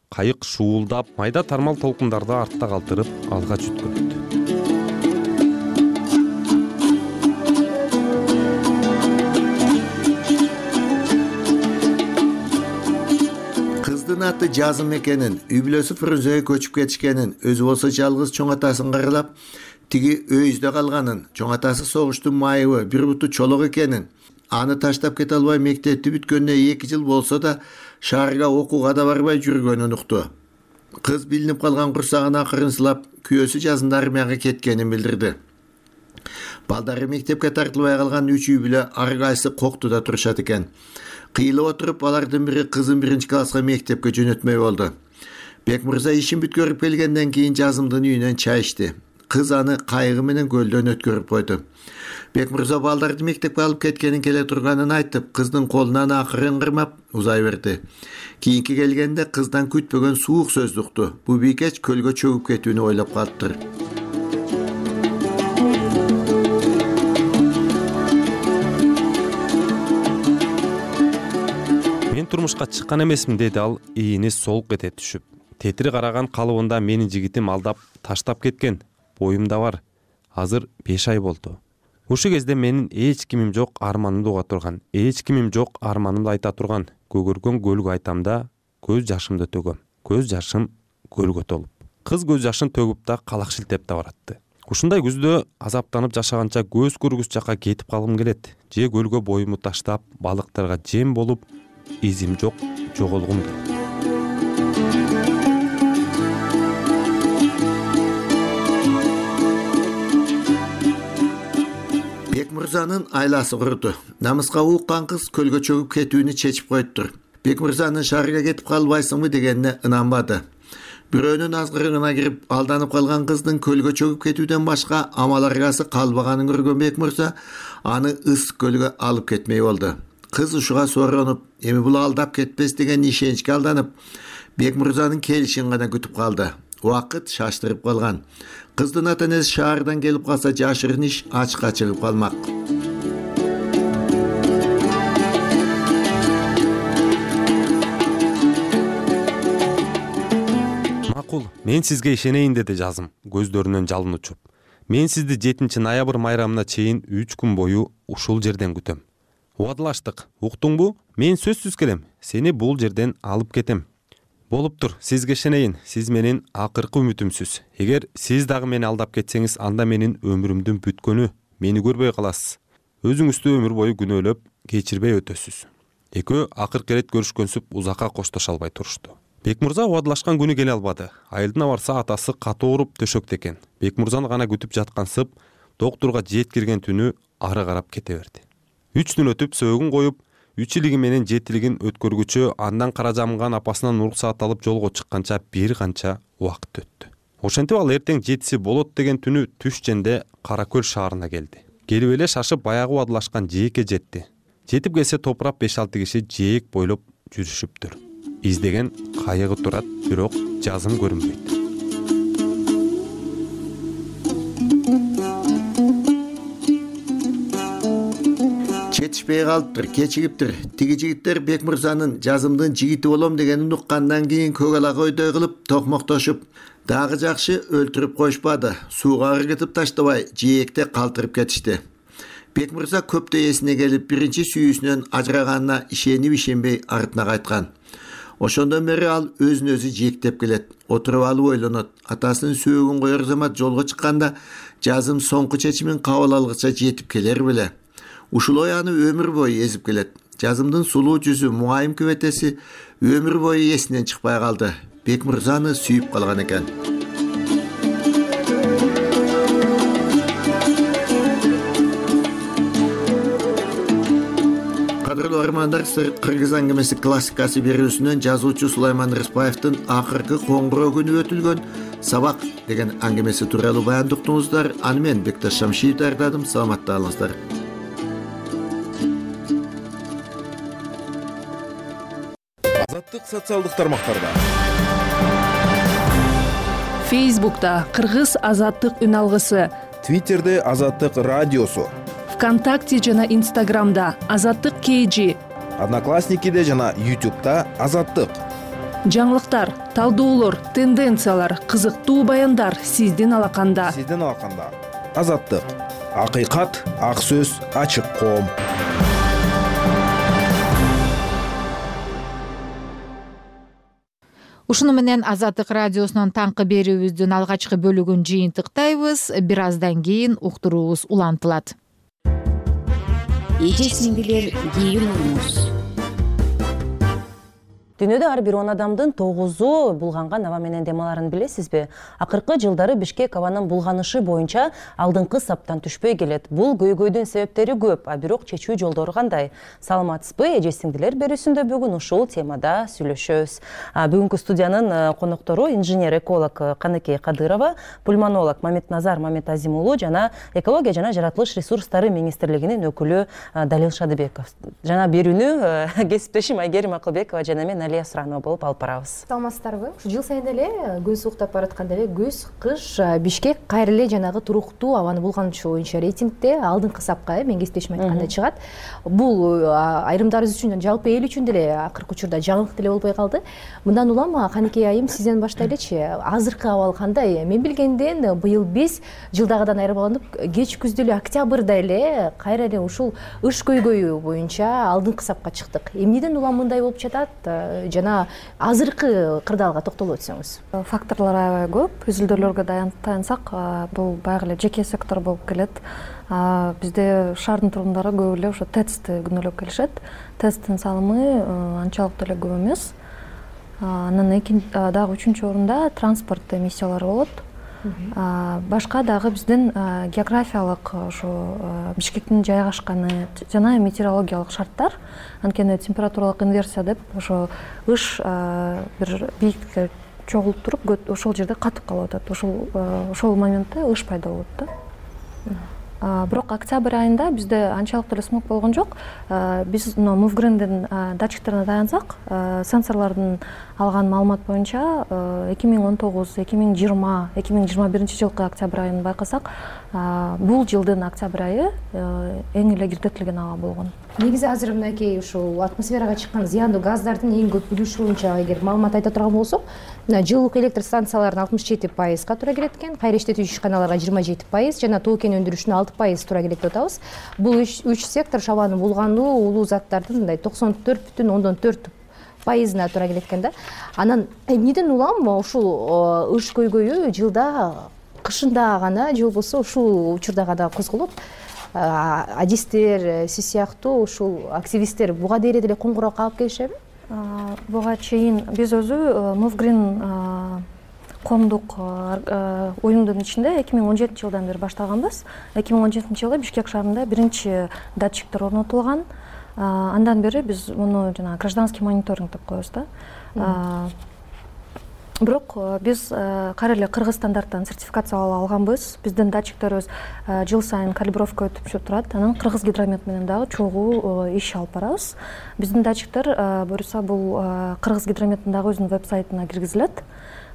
Speaker 8: кайык шуулдап, майда тармал толкундарды артта калтырып, алга жүткөнөт.
Speaker 7: Кыздын аты Жазым экенин, үй бүлөсү Фрунзеге көчүп кетишкенин, өзү болсо жалгыз чоң атасын каралап, тиги өйүздө калганын, чоң атасы согуштун майыбы, бир буту чолок экенин, аны таштап кете албай мектепти бүткөнүнө 2 жыл болсо да шаарга окууга да барбай жүргөнүн укту. Кыз билинип калган курсагын акырын сылап, күйөөсү жазында армияга кеткенин билдирди. Балдары мектепке тартылбай калган 3 үй бүлө ар кайсы коктуда турушат экен. Кыйылып отуруп, алардын бири кызын 1-класска мектепке жөнөтмөй болду. Бек мырза ишин бүткөрүп келгенден кийин Жазымдын үйүнөн чай ичти. Кыз аны кайыгы менен көлдөн өткөрүп койду. Бек мырза балдарды мектепке алып кеткенин келе турганын айтып, кыздын колунан акырын кырмап узай берди. Кийинки келгенде кыздан күтпөгөн суук сөздү укту. Бу бийкеч көлгө чөгүп кетүүнү ойлоп калыптыр.
Speaker 8: Мен турмушка чыккан эмесмин, деди ал ийини солук эте түшүп. Тетири караган калыбында менин жигитим алдап таштап кеткен. Боюмда бар. Азыр 5 ай болду. Ушул кезде менин эч кимим жок, арманымды уга турган. Эч кимим жок, арманымды айта турган. Көгөргөн көлгө айтам да, көз жашымды төгөм. Көз жашым көлгө толуп. Кыз көз жашын төгүп да калак шилтеп да баратты. Ушундай күздө азаптанып жашаганча көз көргүс жакка кетип калгым келет. Же көлгө боюмду таштап, балыктарга жем болуп, изим жок, жоголгум келет.
Speaker 7: Бек мырзанын айласы куруду. Намыска уккан кыз көлгө чөгүп кетүүнү чечип коюптур. Бек мырзанын шаарга кетип калбайсыңбы дегенине ынанбады. Бирөөнүн азгырыгына кирип алданып калган кыздын көлгө чөгүп кетүүдөн башка амал аргасы калбаганын көргөн Бек мырза аны ысык көлгө алып кетмей болду. Кыз ушуга соронуп, эми бул алдап кетпес деген ишеничке алданып, Бек мырзанын келишин гана күтүп калды. Убакыт шаштырып калган. Кыздын ата-энеси шаардан келип калса, жашырын иш ачыкка чыгып калмак.
Speaker 8: Макул, мен сизге ишенейин, деди Жазым, көздөрүнөн жалын учуп. Мен сизди 7 ноябрь майрамына чейин 3 күн бою ушул жерден күтөм. Убадылаштык, уктуңбу? Мен сөзсүз келем. Сени бул жерден алып кетем. Болуптур, сизге ишенейин. Сиз менин акыркы үмүтүмсүз. Эгер сиз дагы мени алдап кетсеңиз, анда менин өмүрүмдүн бүткөнү. Мени көрбөй каласыз. Өзүңүздү өмүр бою күнөөлөп, кечирбей өтөсүз. Экөө акыркы ирет көрүшкөнсүп узакка коштошо албай турушту. Бекмырза убадылашкан күнү келе албады. Айылдына барса атасы катуу ооруп төшөктө экен. Бекмырзаны гана күтүп жаткансып, доктурга жеткирген түнү ары карап кете берди. 3 күн өтүп сөөгүн коюп, 3 илиги менен 7 өткөргүчө андан кара жамган апасынан уруксаат алып жолго чыкканча бир канча убакыт өттү. Ошентип ал эртең 7 болот деген түнү түш женде Кара Көл шаарына келди. Келип эле шашып баягы убадылашкан жээкке жетти. Жетип келсе топурап 5-6 киши жээк бойлоп жүрүшүптүр. Издеген кайыгы турат, бирок жазым көрүнбөйт.
Speaker 7: Жетишпей калыптыр, кечигиптир. Тиги жигиттер Бекмырзанын жазымдын жигити болом дегенин уккандан кийин көк ала койдой кылып токмоктошуп, дагы жакшы өлтүрүп коюшпады. Сууга ыргытып таштабай, жээкте калтырып кетишти. Бекмырза көптөй эсине келип, биринчи сүйүүсүнөн ажыраганына ишенип ишенбей артына кайткан. Ошондон бери ал өзүн өзү жээктеп келет. Отуруп алып ойлонот. Атасынын сөөгүн коер замат жолго чыкканда жазым соңку чечимин кабыл алгыча жетип келер беле. Ушул ой аны өмүр бою эзип келет. Жазымдын сулуу жүзү, муайым күбөтеси өмүр бою эсинен чыкпай калды. Бекмырзаны сүйүп калган экен. Кадырлуу армандар, Кыргыз аңгемеси классикасы берүүсүнөн жазуучу Сулайман Рыспаевдин акыркы коңгуроо күнү өтүлгөн Сабак деген аңгемеси тууралуу баянды уктуңуздар. Аны мен Бекташ Шамшиев даярдадым. Саламатта калыңыздар.
Speaker 9: Азаттык социалдык тармактарда.
Speaker 4: Фейсбукта Кыргыз азаттык үн алгысы,
Speaker 9: Твиттерде Азаттык радиосу,
Speaker 4: ВКонтакте жана Инстаграмда Азаттык KG,
Speaker 9: Одноклассникиде жана YouTube'да Азаттык.
Speaker 4: жаңылыктар, талдоолор, тенденциялар, кызыктуу баяндар сиздин алаканда.
Speaker 9: Азаттык. Акыйкат, ак сөз, ачык коом.
Speaker 1: Ушуну менен Азаттык радиосунун таңкы берүүбүздүн алгачкы бөлүгүн жыйынтыктайбыз. Бир аздан кийин уктуруубуз улантылат.
Speaker 10: Эжесин билер кийим уюңуз.
Speaker 11: Дүйнөдө ар бир 10 адамдын 9-у булганган аба менен дем аларын билесизби? Акыркы жылдары Бишкек абанын булганышы боюнча алдыңкы саптан түшпөй келет. Бул көйгөйдүн себептери көп, а бирок чечүү жолдору кандай? Саламатсызбы? Эже-сиңдилер берүүсүндө бүгүн ушул темада сүйлөшөбүз. Бүгүнкү студиянын коноктору инженер-эколог Каныкей Кадырова, пульмонолог Мамедназар Мамедазим уулу жана экология жана жаратылыш ресурстары министрлигинин өкүлү Далил Шадыбеков. Жана берүүнү кесиптешим Айгерим Акылбекова жана мен Алия Суранова болуп алып барабыз.
Speaker 12: Саламатсыздарбы? Жыл сайын эле күн сууктап баратканда эле күз, кыш Бишкек кайра эле жанагы туруктуу абаны булганычы боюнча рейтингде алдыңкы сапка мен кесиптешим айтканда чыгат. Бул айрымдарыбыз үчүн, жалпы эл үчүн деле акыркы учурда жаңылык деле болбой калды. Мындан улам Каныкей айым сизден баштайлычы. Азыркы абал кандай? Мен билгенден быйыл биз жылдагыдан айырмаланып кеч күздө эле октябрда эле кайра эле ушул ыш көйгөйү боюнча алдыңкы сапка чыктык. Эмнеден улам мындай болуп жатат? Жана азыркы кырдаалга токтолуп өтсөңүз.
Speaker 13: Факторлор аябай көп. Үзүлдөөлөргө таянсак, бул баягы эле жеке сектор болуп келет. Бизде шаардын тургундары көп эле ошо ТЭЦти күнөөлөп келишет. ТЭЦтин салымы анчалык деле көп эмес. Анан дагы 3-чү орунда транспорт эмиссиялары болот. Башка дагы биздин географиялык ошо Бишкектин жайгашканы жана метеорологиялык шарттар, анткени температуралык инверсия деп ошо ыш бир бийиктикке чогулуп туруп, ошол жерде катып калып атат. Ошол моментте ыш пайда болот да. Бирок октябрь айында бизде анчалык деле смог болгон жок. Биз Мувгрендин датчиктерине таянсак, сенсорлордун алган маалымат боюнча 2019, 2020, 2021 жылкы октябрь айын байкасак, бул жылдын октябрь айы эң эле кирдетилген аба болгон.
Speaker 12: Негизи азыр мынакей ушул атмосферага чыккан зыяндуу газдардын эң көп үлүшү боюнча эгер маалымат айта турган болсок, жылуулук электр станцияларынын 67%га туура келет экен, кайра иштетүү ишканаларга 27% жана тоо кен өндүрүшүнүн 6% туура келет деп атабыз. Бул 3 сектор шабанын булгануу улуу заттардын мындай 94,4% пайызына туура келет экен да. Анан эмнеден улам ушул ыш көйгөйү жылда кышында гана же болбосо ушул учурда гана козголот? Адистер, сиз сыяктуу ушул активисттер буга дейре деле коңгуроо каап келишеби?
Speaker 13: Буга чейин биз өзү Movgreen коомдук уюмдун ичинде 2017-жылдан бери баштаганбыз. 2017-жылы Бишкек шаарында биринчи датчиктер орнотулган. Андан бери биз муну жана гражданский мониторинг деп коебуз да. Бирок биз кайра эле кыргыз стандарттан сертификация алганбыз. Биздин датчиктерибиз жыл сайын калибровка өтүп турат. Анан кыргыз гидромет менен дагы чогуу иш алып барабыз. Биздин датчиктер буюрса бул кыргыз гидрометтин дагы өзүнүн веб-сайтына киргизилет.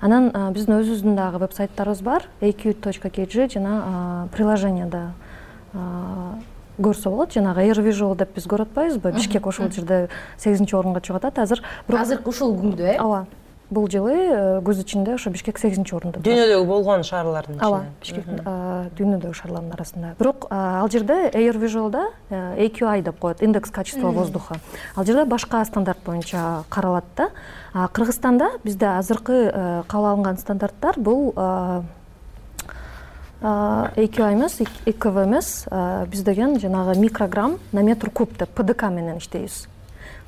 Speaker 13: Анан биздин өзүбүздүн дагы веб-сайттарыбыз бар. aq.kg жана приложенияда көрсө болот. Жанагы AirVisual деп биз көрүп атпайбызбы? Бишкек ошол жерде 8-орунга чыгып атат.
Speaker 12: Азыркы ушул күндө,
Speaker 13: Ооба. Бул жылы көз ичинде ошо Бишкек 8-орунда.
Speaker 11: Дүйнөдөгү болгон шаарлардын ичинде.
Speaker 13: Ооба, Бишкектин дүйнөдөгү шаарлардын арасында. Бирок ал жерде AirVisual'да AQI деп коет, индекс качества воздуха. Ал жерде башка стандарт боюнча каралат да. Кыргызстанда бизде азыркы кабыл алынган стандарттар бул AQI эмес, EQV эмес, биз деген жанагы микрограмм на метр куб деп ПДК менен иштейбиз.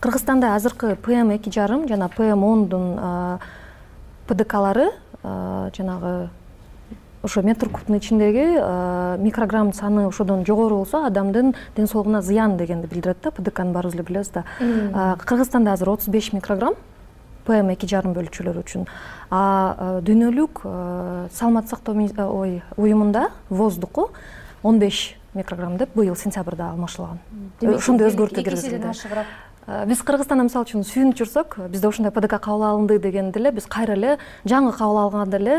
Speaker 13: Кыргызстанда азыркы PM2,5 жана PM10дун ПДКлары жанагы ошо метр кубтун ичиндеги микрограмм саны ошодон жогору болсо адамдын ден соолугуна зыян дегенди билдирет да. ПДКны баарыбыз эле билебиз да. Кыргызстанда азыр 35 микрограмм PM2,5 бөлүкчөлөр үчүн. Дүйнөлүк саламаттык сактоо уюмунда воздуху 15 микрограмм деп быйыл сентябрда алмашылган. Ошондой өзгөртүү киргизилди. Биз Кыргызстанда мисалы үчүн сүйүнүп жүрсөк, бизде ошондой ПДК кабыл алынды дегенде эле биз кайра эле жаңы кабыл алганда эле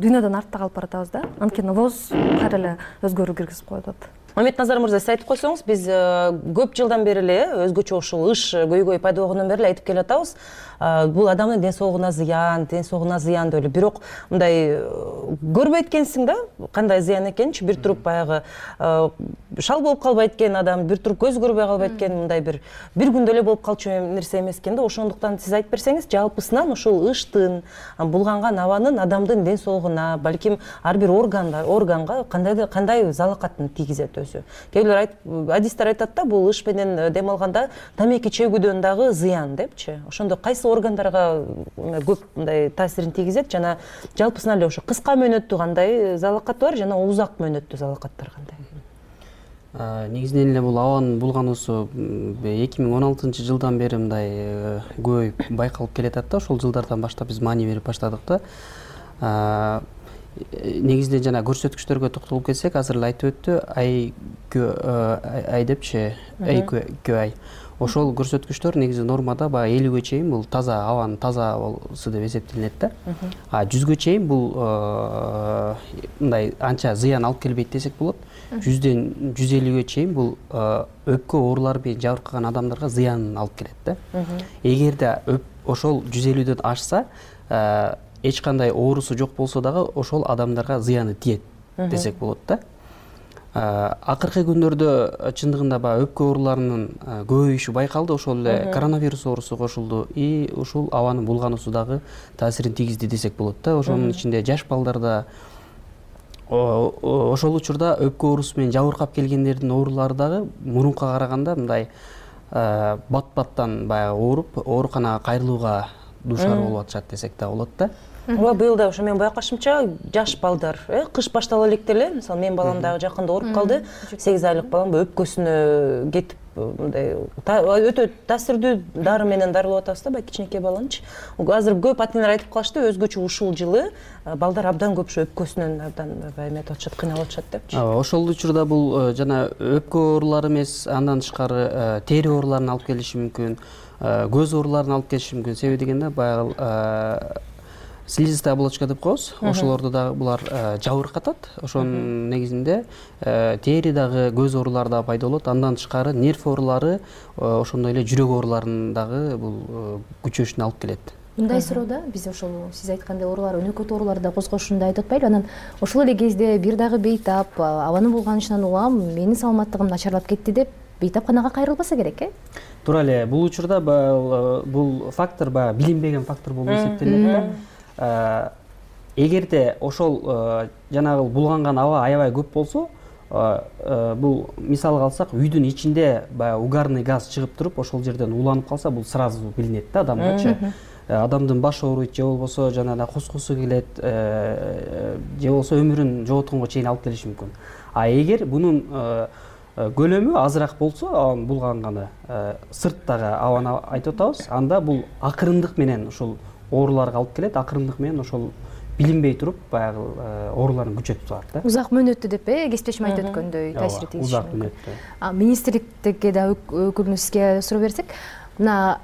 Speaker 13: дүйнөдөн артта калып баратабыз да. Анткени ВОЗ кайра эле өзгөрүү киргизип коюп атат.
Speaker 11: Мамедназар мырза, сиз айтып койсоңуз, биз көп жылдан бери эле өзгөчө ушул ыш көйгөй пайда болгондон бери эле айтып келатабыз. Бул адамдын ден соолугуна зыян деп эле. Бирок мындай көрбөйт экенсиң да, кандай зыян экенинчи. Бир туруп баягы шал болуп калбайт экен адам, бир туруп көз көрбөй калбайт экен, мындай бир күндө эле болуп калчу нерсе эмес экен да. Ошондуктан сиз айтып берсеңиз, жалпысынан ушул ыштын, булганган абанын адамдын ден соолугуна, балким ар бир органга кандай залакатын тийгизет өзү. Кээ бирөө адистер айтат да, бул ыш менен дем алганда тамеки чөгүүдөн дагы зыян депчи. Ошондо кайсы органдарга көп мындай таасирин тийгизет жана жалпысынан эле ошо кыска мөөнөттүү кандай залакат бар жана узак мөөнөттүү залакаттар кандай?
Speaker 14: Негизинен эле бул абанын булгануусу 2016-жылдан бери мындай көбөйүп байкалып келатат да. Ошол жылдардан баштап биз маани берип баштадык да. Негизинен жана көрсөткүчтөргө токтолуп кетсек, азыр эле айтып өттү, AQI депчи, AQI. Ошол көрсөткүчтөр негизи нормада баягы 50-ге чейин бул таза, абанын таза болсу деп эсептелинет да. 100ге чейин бул мындай анча зыян алып келбейт десек болот. 100ден 150ге чейин бул өпкө оорулары менен жабыркаган адамдарга зыянын алып келет да. Эгерде ошол 150ден ашса, эч кандай оорусу жок болсо дагы ошол адамдарга зыяны тиет десек болот да. Акыркы күндөрдө чындыгында баягы өпкө ооруларынын көбөйүшү байкалды, ошол эле коронавирус оорусу кошулду и ушул абанын булгануусу дагы таасирин тийгизди десек болот да. Ошонун ичинде жаш балдарда ошол учурда өпкө оорусу менен жабыркап келгендердин оорулары дагы мурункуга караганда мындай бат-баттан баягы ооруп, ооруканага кайрылууга дуушар болуп атышат десек да болот да.
Speaker 11: Быйыл да ошо менин байкашымча жаш балдар, кыш баштала электе эле, мисалы менин балам дагы жакында ооруп калды. 8 айлык балам өпкөсүнө кетип мындай өтө таасирдүү дары менен дарылап атабыз да, баягы кичинекей баланычы. Азыр көп ата энелер айтып калышты, өзгөчө ушул жылы балдар абдан көп өпкөсүнөн абдан эметип атышат, кыйналып атышат депчи.
Speaker 14: Ошол учурда бул жана өпкө оорулары эмес, андан тышкары тери ооруларын алып келиши мүмкүн, көз ооруларын алып келиши мүмкүн. Себеби дегенде баягы слизистая оболочка деп коебуз. Ошолордо дагы булар жабыркатат. Ошонун негизинде тери дагы, көз оорулары дагы пайда болот. Андан тышкары нерв оорулары, ошондой эле жүрөк ооруларын дагы бул күчөшүнө алып келет.
Speaker 12: Мындай суроода биз ошол сиз айткандай оорулар, өнөкөт ооруларды да козгошунду айтып атпайлы. Анан ошол эле кезде бир дагы бейтап абанын булганышынан улам менин саламаттыгым начарлап кетти деп бейтапканага кайрылбаса керек,
Speaker 14: туура эле. Бул учурда бул фактор баягы билинбеген фактор болуп эсептелет да. Эгерде ошол жанагы булганган аба аябай көп болсо, бул мисалга алсак, үйдүн ичинде баягы угарный газ чыгып туруп, ошол жерден ууланып калса, бул сразу билинет да адамгачы. Адамдын башы ооруйт, же болбосо жанагы кускусу келет, же болбосо өмүрүн жоготконго чейин алып келиши мүмкүн. А эгер бунун көлөмү азыраак болсо, анын булганганы, сырттагы абаны айтып атабыз, анда бул акырындык менен ошол ооруларга алып келет, акырындык менен ошол билинбей туруп баягы ооруларын күчөтүп турат да.
Speaker 12: Узак мөөнөттө деп кесиптешим айтып өткөндөй таасир тийиши.
Speaker 14: Узак мөөнөттө.
Speaker 12: Министрликке да өкүлүбүзгө суроо берсек, мына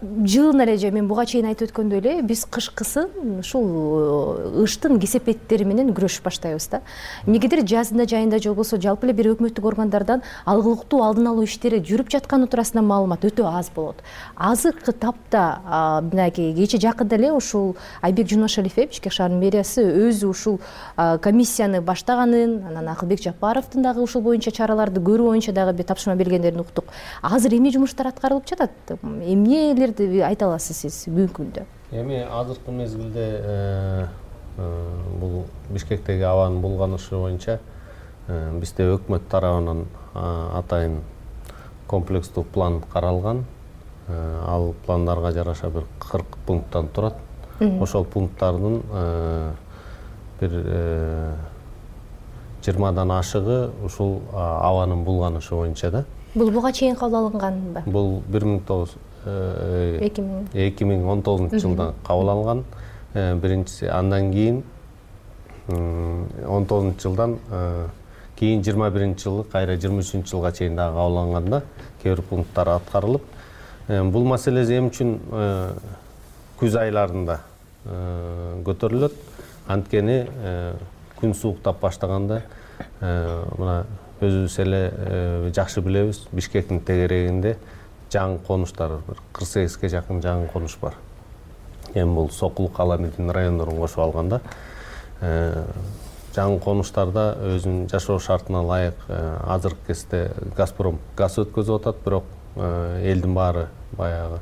Speaker 12: жылына эле же мен буга чейин айтып өткөндөй эле биз кышкысын ушул ыштын кесепеттери менен күрөшүп баштайбыз да. Эмнегедир жазында жайында же болбосо жалпы эле бир өкмөттүк органдардан алгылыктуу алдын алуу иштери жүрүп жатканы туурасында маалымат өтө аз болот. Азыркы тапта мынакей кече жакында эле ушул Айбек Жумашалиев, Бишкек шаарынын мэриясы өзү ушул комиссияны баштаганын, анан Акылбек Жапаровдун дагы ушул боюнча чараларды көрүү боюнча дагы бир тапшырма бергендерин уктук. Азыр эмне жумуштар аткарылып жатат? Эмнелерди айта аласыз сиз бүгүнкү күндө?
Speaker 15: Эми азыркы мезгилде бул Бишкектеги абанын булганышы боюнча бизде өкмөт тарабынан атайын комплекстүү план каралган. Ал пландарга жараша бир 40 пункттан турат. Ошол пункттардын бир 20дан ашыгы ушул абанын булганышы боюнча да.
Speaker 12: Бул буга чейин кабыл алынганбы?
Speaker 15: Бул 2019 жылда кабыл алынган. Биринчиси, андан кийин 19 жылдан кийин 21 жылы, кайра 23 жылга чейин дагы кабыл алынганда кээ бир пункттар аткарылып, бул маселе эмне үчүн күз айларында көтөрүлөт? Анткени күн сууктап баштаганда мына өзүбүз эле жакшы билебиз, Бишкектин тегерегинде жаңы конуштар, 48ге жакын жаңы конуш бар. Эми бул Сокулук, Аламедин райондорун кошуп алганда, жаңы конуштарда өзүнүн жашоо шартына ылайык азыркы кезде Газпром газ өткөзүп атат, бирок элдин баары баягы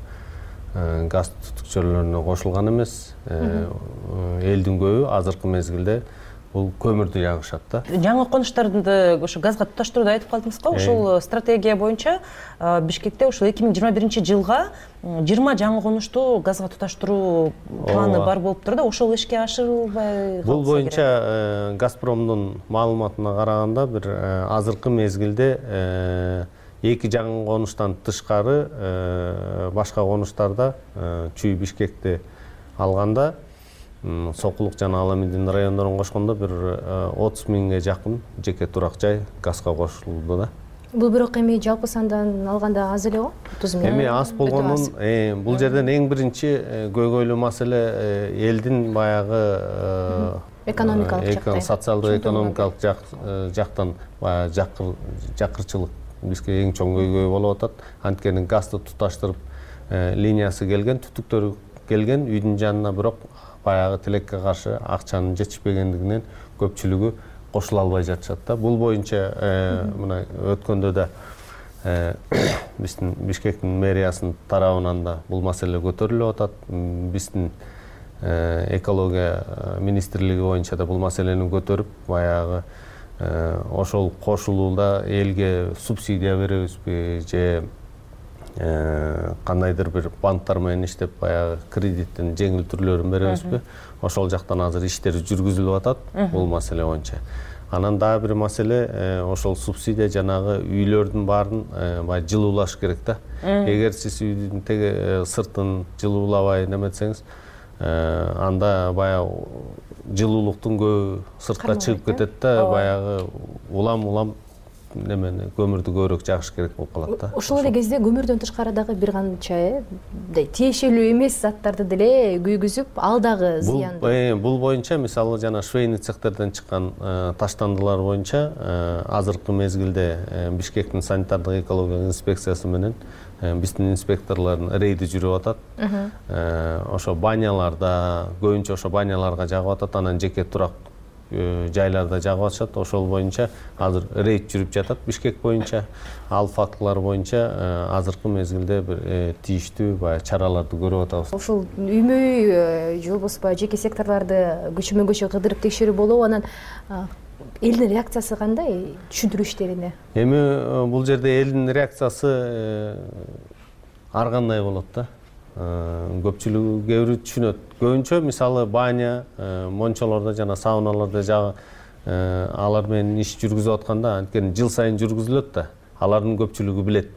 Speaker 15: газ түтүкчөлөрүнө кошулган эмес. Элдин көбү азыркы мезгилде бул көмүрдү жагышат да.
Speaker 11: Жаңы конуштарды ошо газга туташтырууду айтып калдыңыз го. Ушул стратегия боюнча Бишкекте ушул 2021 жылга 20 жаңы конушту газга туташтыруу планы бар болуп тур да. Ошол ишке ашырылбай калса керек.
Speaker 15: Бул боюнча Газпромдун маалыматына караганда бир азыркы мезгилде 2 жаңы конуштан тышкары башка конуштарда чүй Бишкекти алганда Сокулук жана Аламедин райондорун кошкондо бир 30 миңге жакын жеке турак жай газга кошулду да.
Speaker 12: Бул бирок эми жалпы сандан алганда аз эле го? 30 миң.
Speaker 15: Эми аз болгонун бул жерден эң биринчи көйгөйлүү маселе элдин баягы
Speaker 12: экономикалык
Speaker 15: социалдык экономикалык жактан жакырчылык бизге эң чоң көйгөй болуп атат. Анткени газды туташтырып линиясы келген, түтүктөрү келген, үйдүн жанына бирок баягы тилекке каршы акчанын жетишпегендигинен көпчүлүгү кошула албай жатышат да. Бул боюнча мына өткөндө да биздин Бишкектин мэриясынын тарабынан да бул маселе көтөрүлүп атат. Биздин экология министрлиги боюнча да бул маселени көтөрүп, баягы ошол кошулууда элге субсидия беребизби же кандайдыр бир банктар менен иштеп баягы кредиттин жеңил түрлөрүн беребизби? Ошол жактан азыр иштер жүргүзүлүп атат бул маселе боюнча. Анан дагы бир маселе ошол субсидия жанагы үйлөрдүн баарын баягы жылуулаш керек да. Эгер сиз үйдүн теге сыртын жылуулабай неметсеңиз, анда баягы жылуулуктун көбү сыртка чыгып кетет да, баягы улам немени көмүрдү көбүрөөк жагыш керек болуп калат да.
Speaker 12: Ошол эле кезде көмүрдөн тышкары дагы бир канча тиешелүү эмес заттарды деле күйгүзүп, ал дагы зыяндуу.
Speaker 15: Бул боюнча мисалы жана швейный цехтерден чыккан таштандылар боюнча азыркы мезгилде Бишкектин санитардык экологиялык инспекциясы менен биздин инспекторлордун рейди жүрүп атат. Ошо баняларда, көбүнчө ошо баняларга жагып атат, анан жеке турак жайларда жагып атышат. Ошол боюнча азыр рейд жүрүп жатат Бишкек боюнча. Ал фактылар боюнча азыркы мезгилде бир тийиштүү баягы чараларды көрүп атабыз.
Speaker 12: Ушул үймөй же болбосо баягы жеке секторларды көчөмөн көчө кыдырып текшерүү болобу, анан элдин реакциясы кандай түшүндүрүү иштерине?
Speaker 15: Эми бул жерде элдин реакциясы ар кандай болот да. Көпчүлүгү кээ бирөө түшүнөт. Көбүнчө мисалы баня, мончолордо жана сауналарда жагы алар менен иш жүргүзүп атканда анткени жыл сайын жүргүзүлөт да. Алардын көпчүлүгү билет.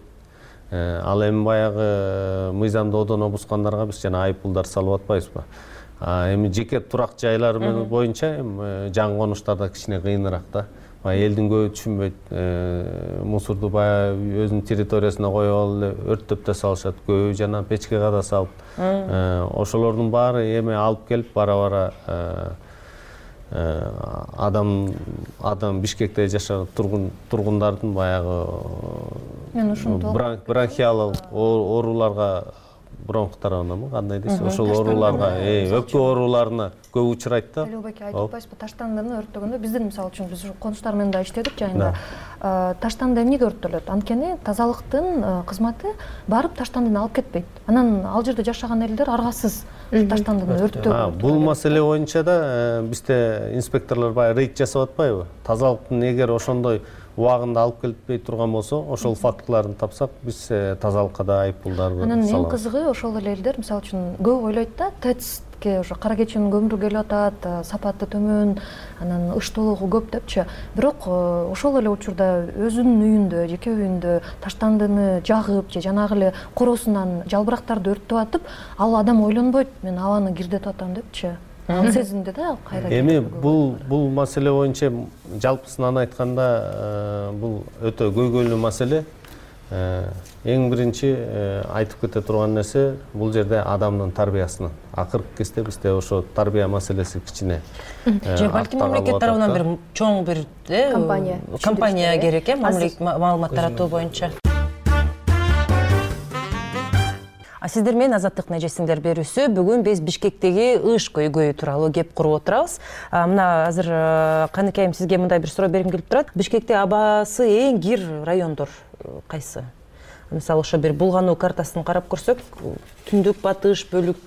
Speaker 15: Ал эми баягы мыйзамды одоно бускандарга биз жана айыппулдар салып атпайбызбы? Эми жеке турак жайлар боюнча жаңы конуштарда кичине кыйыныраак да. Элдин көбү түшүнбөйт. Мусорду баягы өзүнүн территориясына коюп алып өрттөп да салышат. Көбү жана печкеге да салып. Ошолордун баары эми алып келип бара-бара адам Бишкекте жашаган тургундардын баягы бронхиалдык ооруларга бронхтарынамы кандай дейсиз, ошол ооруларга, өпкө ооруларына көп учурайт да.
Speaker 13: Элбеке айтып атпайсызбы, таштандыны өрттөгөндө биздин мисалы үчүн биз конуштар менен да иштедик жайында. Таштанды эмнеге өрттөлөт? Анткени тазалыктын кызматы барып таштандыны алып кетпейт. Анан ал жерде жашаган элдер аргасыз таштандыны өрттөп.
Speaker 15: Бул маселе боюнча да бизде инспекторлор баягы рейд жасап атпайбы? Тазалыктын эгер ошондой убагында алып келбей турган болсо, ошол фактыларын тапсак, биз тазалыкка да айыппулдарды салабыз.
Speaker 13: Анан эң кызыгы ошол эле элдер мисалы үчүн көп ойлойт да, ТЭЦке ошо кара кечинин көмүрү келип атат, сапаты төмөн, анан ыштоолугу көп депчи. Бирок ошол эле учурда өзүнүн үйүндө, жеке үйүндө таштандыны жагып же жанагы эле коросунан жалбырактарды өрттөп атып, ал адам ойлонбойт, мен абаны кирдетип атам депчи. Ал сезимде да кайра.
Speaker 15: Эми бул маселе боюнча жалпысынан айтканда бул өтө көйгөйлүү маселе. Эң биринчи айтып кете турган нерсе бул жерде адамдын тарбиясынан. Акыркы кезде бизде ошо тарбия маселеси кичине.
Speaker 11: Же балким мамлекет тарабынан бир чоң бир компания керек маалымат таратуу боюнча. Сиздер менен Азаттыктын эжесиңдер берүүсү бүгүн биз Бишкектеги ыш көйгөйү тууралуу кеп куруп отурабыз. Мына азыр Каныкайым сизге мындай бир суроо бергим келип турат. Бишкекте абасы эң кир райондор кайсы? Мисалы ошо бир булгануу картасын карап көрсөк, түндүк, батыш, бөлүк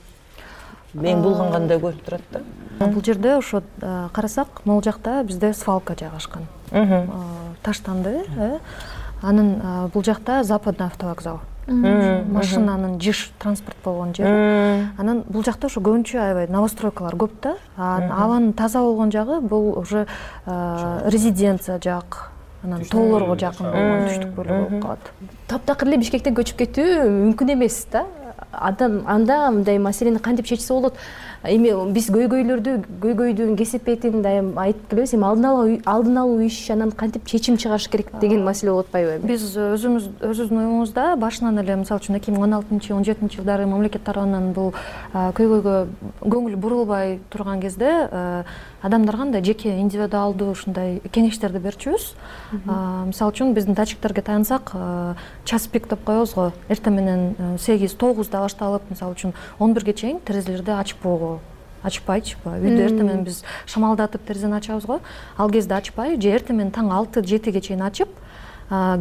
Speaker 11: эң булгангандай көрүнүп турат да.
Speaker 13: Бул жерде ошо карасак, могул жакта бизде свалка жайгашкан. Таштанды, анын бул жакта Западный автовокзал. Машинанын жиш транспорт болгон жер. Анан бул жакта ошо көбүнчө аябай новостройкалар көп да. Абанын таза болгон жагы бул уже резиденция жак. Анан тоолорго жакын болгон түштүк бөлүгү болуп калат.
Speaker 12: Таптакыр эле Бишкектен көчүп кетүү мүмкүн эмес да. Адам анда мындай маселени кантип чечсе болот? Эми биз көйгөйдүн кесепетин дайым айтып келебиз. Эми алдын алуу иш, анан кантип чечим чыгарыш керек деген маселе болуп атпайбы?
Speaker 13: Биз өзүбүздүн оюңузда башынан эле мисалы үчүн 2016-17 жылдары мамлекет тарабынан бул көйгөйгө көңүл бурулбай турган кезде адамдар кандай жеке индивидуалдуу ушундай кеңештерди берчүбүз. Мисалы үчүн биздин датчиктерге таянсак, час пик деп коебуз го. Эртең менен 8-9да башталып, мисалы үчүн 11ге чейин терезелерди ачпоо. Ачпайчы, үйдө эртең менен биз шамалдатып терезени ачабыз го. Ал кезде ачпай, же эртең менен таң 6-7ге чейин ачып,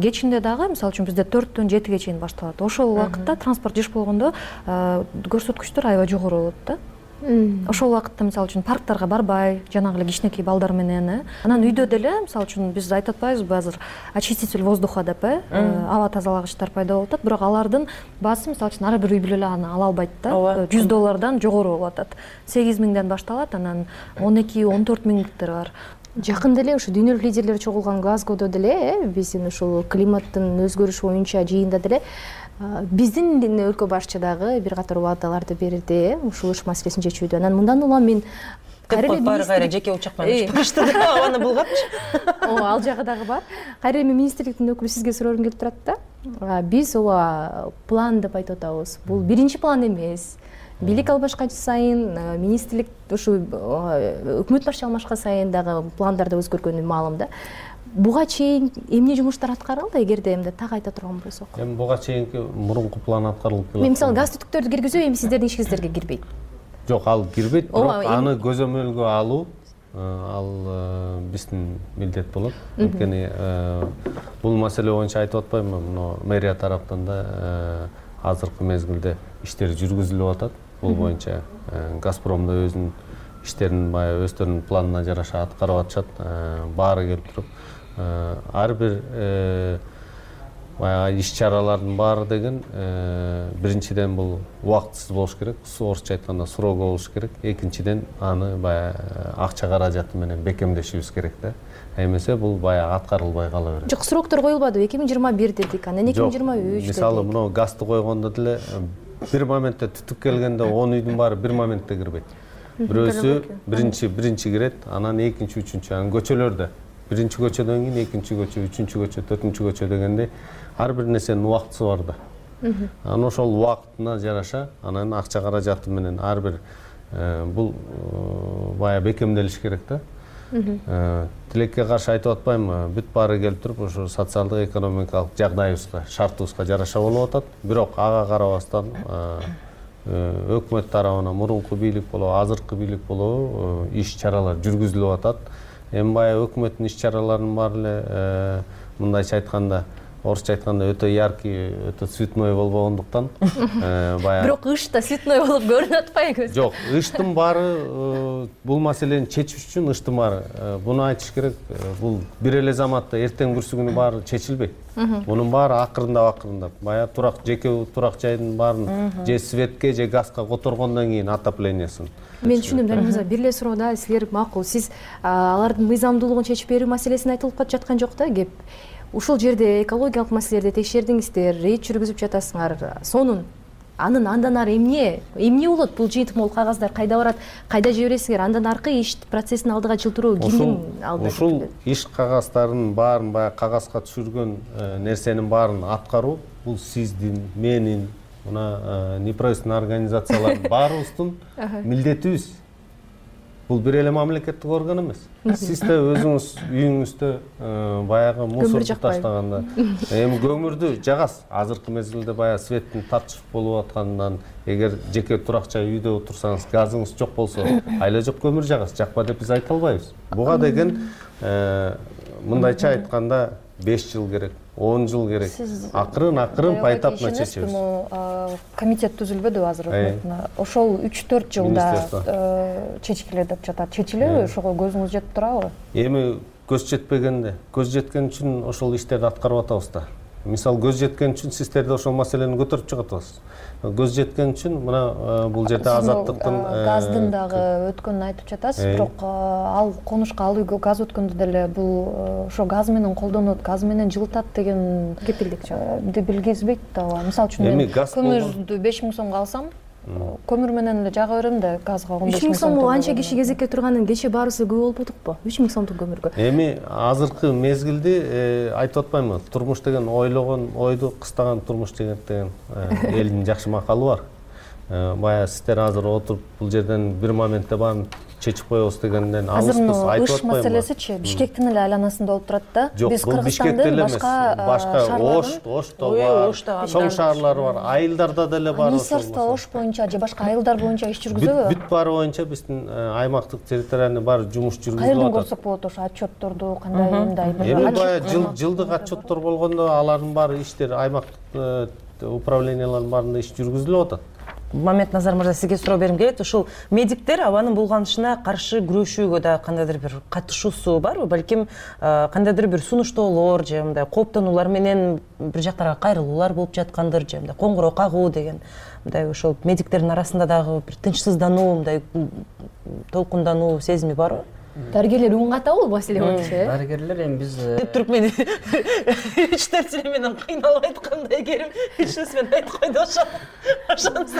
Speaker 13: кечинде дагы мисалы үчүн бизде 4-төн 7ге чейин башталат. Ошол убакытта транспорт жиш болгондо көрсөткүчтөр аябай жогору болот да. Ошол убакытта мисалы үчүн парктарга барбай, жанагы эле кичинекей балдар менен, анан үйдө деле мисалы үчүн биз айтып атпайбызбы азыр очиститель воздуха деп, аба тазалагычтар пайда болуп атат, бирок алардын баасы мисалы үчүн ар бир үй бүлө эле аны ала албайт да. $100 жогору болуп атат. 8.000ден башталат, анан 12-14 миңдиктер бар.
Speaker 12: Жакында эле ошо дүйнөлүк лидерлер чогулган Глазгодо деле биздин ушул климаттын өзгөрүшү боюнча жыйында деле биздин өлкө башчы дагы бир катар убадаларды берди ушул ыш маселесин чечүүдө. Анан мындан улам мен
Speaker 11: кайра жеке учак менен чыгышты абаны булгапчы.
Speaker 12: Ал жагы дагы бар. Кайра эми министрликтин өкүлү сизге сурогум келип турат да. Биз ооба план деп айтып атабыз. Бул биринчи план эмес. Бийлик албашкан сайын министрлик ушу өкмөт башчы алмашкан сайын дагы пландар да өзгөргөнү маалым да. Буга чейин эмне жумуштар аткарылды, эгерде эмне так айта турган болсок?
Speaker 15: Эми буга чейинки мурунку план аткарылып келет.
Speaker 12: Мен мисалы газ түтүктөрдү киргизүү эми сиздердин ишиңиздерге кирбейт.
Speaker 15: Жок, ал кирбейт, бирок аны көзөмөлгө алуу ал биздин милдет болот. Анткени бул маселе боюнча айтып атпаймынбы, мына мэрия тараптан да азыркы мезгилде иштер жүргүзүлүп атат. Бул боюнча Газпром да өзүнүн иштерин баягы өздөрүнүн планына жараша аткарып атышат. Баары келип туруп ар бир баягы иш-чаралардын баары деген биринчиден бул убактысыз болуш керек, орусча айтканда срого болуш керек. Экинчиден аны баягы акча каражаты менен бекемдешибиз керек да. Эмесе бул баягы аткарылбай кала берет.
Speaker 12: Жок, сроктор коюлбадыбы? 2021 дедик, анан 2023 дедик.
Speaker 15: Мисалы, мына газды койгондо деле бир моментте түтүк келгенде 10 үйдүн баары бир моментте кирбейт. Бирөөсү биринчи кирет, анан экинчи, үчүнчү, анан көчөлөрдө биринчи көчөдөн кийин экинчи көчө, үчүнчү көчө, төртүнчү көчө дегендей ар бир нерсенин убактысы бар да. Анан ошол убактына жараша анан акча каражаты менен ар бир бул баягы бекемделиш керек да. Тилекке каршы айтып атпаймынбы, бүт баары келип туруп ошо социалдык экономикалык жагдайыбызга, шартыбызга жараша болуп атат. Бирок ага карабастан өкмөт тарабынан мурунку бийлик болобу, азыркы бийлик болобу иш-чаралар жүргүзүлүп атат. Эми баягы өкмөттүн иш-чараларынын баары эле мындайча айтканда, орусча айтканда өтө яркий, өтө цветной болбогондуктан баягы.
Speaker 12: Бирок ыш да цветной болуп көрүнүп атпайбы?
Speaker 15: Жок, ыштын баары бул маселени чечиш үчүн ыштын баары, буну айтыш керек, бул бир эле заматта эртең бүрсү күнү баары чечилбейт. Мунун баары акырындап, баягы жеке турак жайдын баарын же светке, же газга которгондон кийин отоплениясын.
Speaker 12: Мен түшүндүм, Данил мырза, бир эле суроодо силер макул, сиз алардын мыйзамдуулугун чечип берүү маселесин айтылып жаткан жок да, кеп. Ушул жерде экологиялык маселелерди текшердиңиздер, рейд жүргүзүп жатасыңар. Сонун андан ары эмне болот? Бул жыйынтык могул кагаздар кайда барат, кайда жибересиңер? Андан аркы иш процессин алдыга жылдыруу кимдин алдыда?
Speaker 15: Ушул иш кагаздарын баарын баягы кагазга түшүргөн нерсенин баарын аткаруу бул сиздин, менин, мына неправительственный организациялардын баарыбыздын милдетибиз. Бул бир эле мамлекеттик орган эмес. Сиз да өзүңүз үйүңүздө баягы мусорду таштаганда, эми көмүрдү жагасыз. Азыркы мезгилде баягы светтин тартыш болуп аткандан, эгер жеке турак жай үйдө отурсаңыз, газыңыз жок болсо, айла жок көмүр жагасыз. Жакпа деп биз айта албайбыз. Буга деген мындайча айтканда 5 жыл керек, 10 жыл керек. Акырын поэтапно чечебиз.
Speaker 13: Комитет түзүлбөдүбү азыр өкмөттүн? Ошол 3-4 жылда чечкиле деп жатат. Чечилеби? Ошого көзүңүз жетип турабы?
Speaker 15: Эми көз жетпегенде, көз жеткен үчүн ошол иштерди аткарып атабыз да. Мисалы, көз жеткен үчүн сиздер да ошол маселени көтөрүп чыгып атасыз. Көз жеткен үчүн мына бул жерде азаттыктын
Speaker 13: газдын дагы өткөнүн айтып жатасыз, бирок ал конушка, ал үйгө газ өткөндө деле бул ошо газ менен колдонот, газ менен жылытат деген кепилдикти билгизбейт да. Мисалы үчүн мен көмүрдү 5000 сомго алсам, көмүр менен эле жага берем да, газга 15000 сом.
Speaker 12: 3000 сом анча киши кезекке турганын кече баарыбыз көп болуп атыкпы? 3000 сомдук көмүргө.
Speaker 15: Эми азыркы мезгилде айтып атпаймынбы, турмуш деген ойлогон ойду кыстаган турмуш деген элдин жакшы макалы бар. Баягы сиздер азыр отуруп бул жерден бир моментте баарын чечип коебуз дегенден алыспыз, айтып атпаймынбы? Ыш
Speaker 13: маселесичи Бишкектин эле айланасында болуп турат да.
Speaker 15: Биз Кыргызстандын башка Ошто бар, чоң шаарлары бар, айылдарда деле бар.
Speaker 13: Министерство Ош боюнча же башка айылдар боюнча иш жүргүзөбү?
Speaker 15: Бүт баары боюнча биздин аймактык территориальный бар жумуш жүргүзүлүп атат.
Speaker 13: Кайерден көрсөк болот ошо отчетторду, кандай мындай?
Speaker 15: Эми баягы жылдык отчеттор болгондо алардын баары иштер аймактык управлениялардын баарында иш жүргүзүлүп атат.
Speaker 11: Мамед Назар мырза, сизге суроо бергим келет. Ушул медиктер абанын булганышына каршы күрөшүүгө да кандайдыр бир катышуусу барбы? Балким кандайдыр бир сунуштоолор же мындай кооптонуулар менен бир жактарга кайрылуулар болуп жаткандыр, же мындай коңгуроо кагуу деген мындай ошол медиктердин арасында дагы бир тынчсыздануу, мындай толкундануу сезими барбы?
Speaker 12: Дарыгерлер үн катабы бул маселе боюнча?
Speaker 14: Дарыгерлер эми биз
Speaker 11: деп туруп мени үч нерсе менен кыйналып айткандай керим үч нерсе менен айтып койду ошонусу.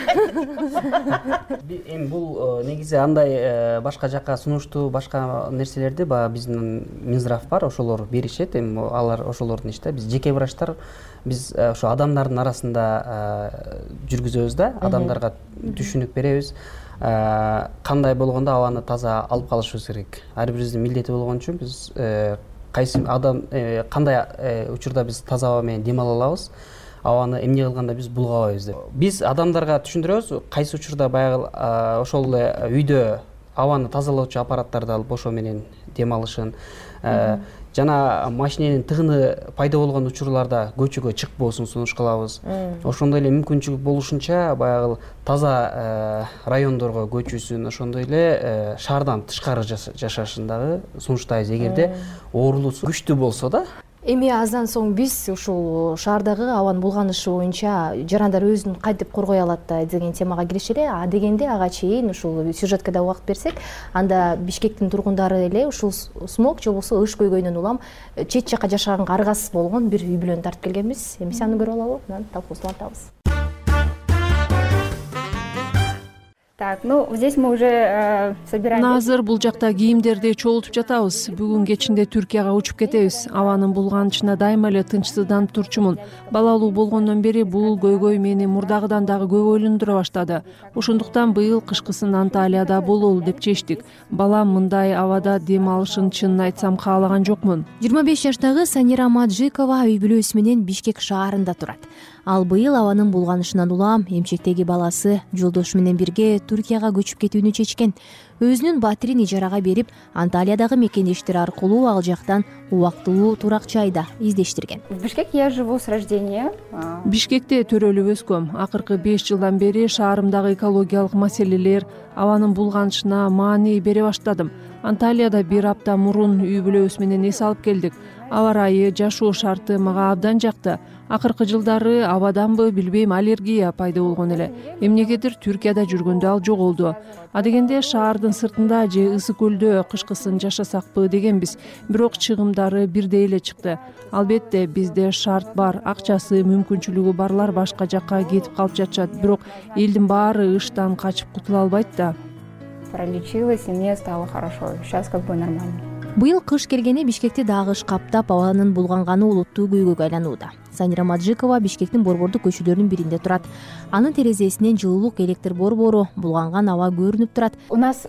Speaker 14: Эми бул негизи андай башка жакка сунуштуу башка нерселерди баягы биздин Минздрав бар, ошолор беришет. Эми алар ошолордун иши да. Биз жеке врачтар биз ошо адамдардын арасында жүргүзөбүз да, адамдарга түшүнүк беребиз. Кандай болгондо абаны таза алып калышыбыз керек. Ар бирибиздин милдети болгон үчүн биз кайсы адам кандай учурда биз таза аба менен дем ала алабыз, абаны эмне кылганда биз булгабайбыз деп. Биз адамдарга түшүндүрөбүз, кайсы учурда баягы ошол эле үйдө абаны тазалоочу аппараттарды алып ошо менен дем алышын, жана машиненин тыгыны пайда болгон учурларда көчөгө чыкпоосун сунуш кылабыз. Ошондой эле мүмкүнчүлүк болушунча баягы таза райондорго көчүүсүн, ошондой эле шаардан тышкары жашашын дагы сунуштайбыз. Эгерде оорулуусу күчтүү болсо да.
Speaker 12: Эми аздан соң биз ушул шаардагы абанын булганышы боюнча жарандар өзүн кантип коргой алат деген темага киришели. Дегенде ага чейин ушул сюжетке да убакыт берсек, анда Бишкектин тургундары эле ушул смог же болбосо ыш көйгөйдөн улам чет жака жашаганга аргасыз болгон бир үй бүлөнү тартып келгенбиз. Эми аны көрүп алалы, анан талкуусун.
Speaker 3: Так, ну здесь мы уже собираем.
Speaker 4: Азыр бул жакта кийимдерди чогултуп жатабыз. Бүгүн кечинде Түркияга учуп кетебиз. Абанын булганышына дайыма эле тынчсызданып турчумун. Балалуу болгондон бери бул көйгөй мени мурдагыдан дагы көп ойлондура баштады. Ошондуктан быйыл кышкысын Анталияда бололу деп чечтик. Балам мындай абада дем алышын чынын айтсам каалаган жокмун.
Speaker 1: 25 жаштагы Санира Маджикова үй бүлөсү менен Бишкек шаарында турат. Ал быйыл абанын булганышынан улам эмчектеги баласы жолдошу менен бирге Түркияга көчүп кетүүнү чечкен. Өзүнүн батирин ижарага берип, Анталиядагы мекендештери аркылуу ал жактан убактылуу турак жайда издештирген.
Speaker 3: В Бишкек я живу с рождения.
Speaker 4: Бишкекте төрөлүп өскөм. Акыркы 5 жылдан бери шаарымдагы экологиялык маселелер, абанын булганышына маани бере баштадым. Анталияда 1 апта мурун үй бүлөбүз менен эс алып келдик. Аба ырайы, жашоо шарты мага абдан жакты. Акыркы жылдары абаданбы билбейм, аллергия пайда болгон эле. Эмнегедир Түркияда жүргөндө ал жоголду. Дегенде шаардын сыртында же ысык көлдө кышкысын жашасакпы дегенбиз. Бирок чыгымдары бирдей эле чыкты. Албетте бизде шарт бар, акчасы, мүмкүнчүлүгү барлар башка жакка кетип калып жатышат. Бирок элдин баары ыштан качып кутула албайт да.
Speaker 3: Пролечилась, и мне стало хорошо. Сейчас как бы нормально.
Speaker 1: Быйыл кыш келгени Бишкекти дагы ыш каптап, абанын булганганы улуттуу көйгөйгө айланууда. Санира Маджикова Бишкектин борбордук көчөлөрүнүн биринде турат. Анын терезесинен жылуулук электр борбору, булганган аба көрүнүп турат.
Speaker 3: У нас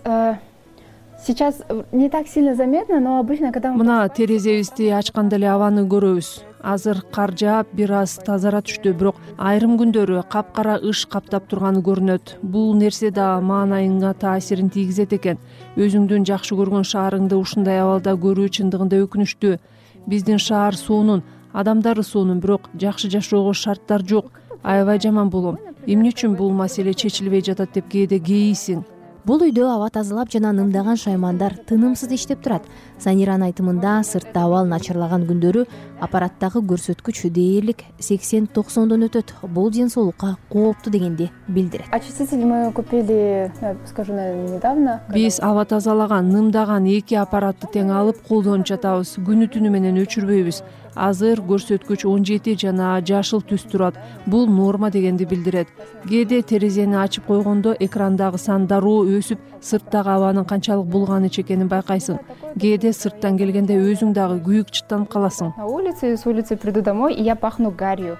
Speaker 3: сейчас не так сильно заметно, но обычно когда
Speaker 4: мына терезебизди ачканда эле абаны көрөбүз. Азыр кар жаап, бир аз тазара түштү, бирок айрым күндөрү капкара ыш каптап турганы көрүнөт. Бул нерсе да маанайыңа таасирин тийгизет экен. Өзүңдүн жакшы көргөн шаарыңды ушундай абалда көрүү чындыгында өкүнүчтүү. Биздин шаар сонун, адамдары сонун, бирок жакшы жашоого шарттар жок. Аябай жаман болом. Эмне үчүн бул маселе чечилбей жатат деп кээде кейисиң.
Speaker 1: Бул үйдө аба тазалап жана нымдаган шаймандар тынымсыз иштеп турат. Саниранын айтымында сыртта абал начарлаган күндөрү аппараттагы көрсөткүч дээрлик 80-90дон өтөт. Бул ден соолукка кооптуу дегенди билдирет.
Speaker 3: Очиститель мы купили, скажу, недавно.
Speaker 4: Биз аба тазалаган, нымдаган 2 аппаратты тең алып колдонуп жатабыз. Күнү түнү менен өчүрбөйбүз. Азыр көрсөткүч 17 жана жашыл түс турат. Бул норма дегенди билдирет. Кээде терезени ачып койгондо экрандагы сан дароо өсүп, сырттагы абанын канчалык булганыч экенин байкайсың. Кээде сырттан келгенде өзүң дагы күйүк чыттанып каласың.
Speaker 3: На улице, с улицы приду домой, и я пахну гарью.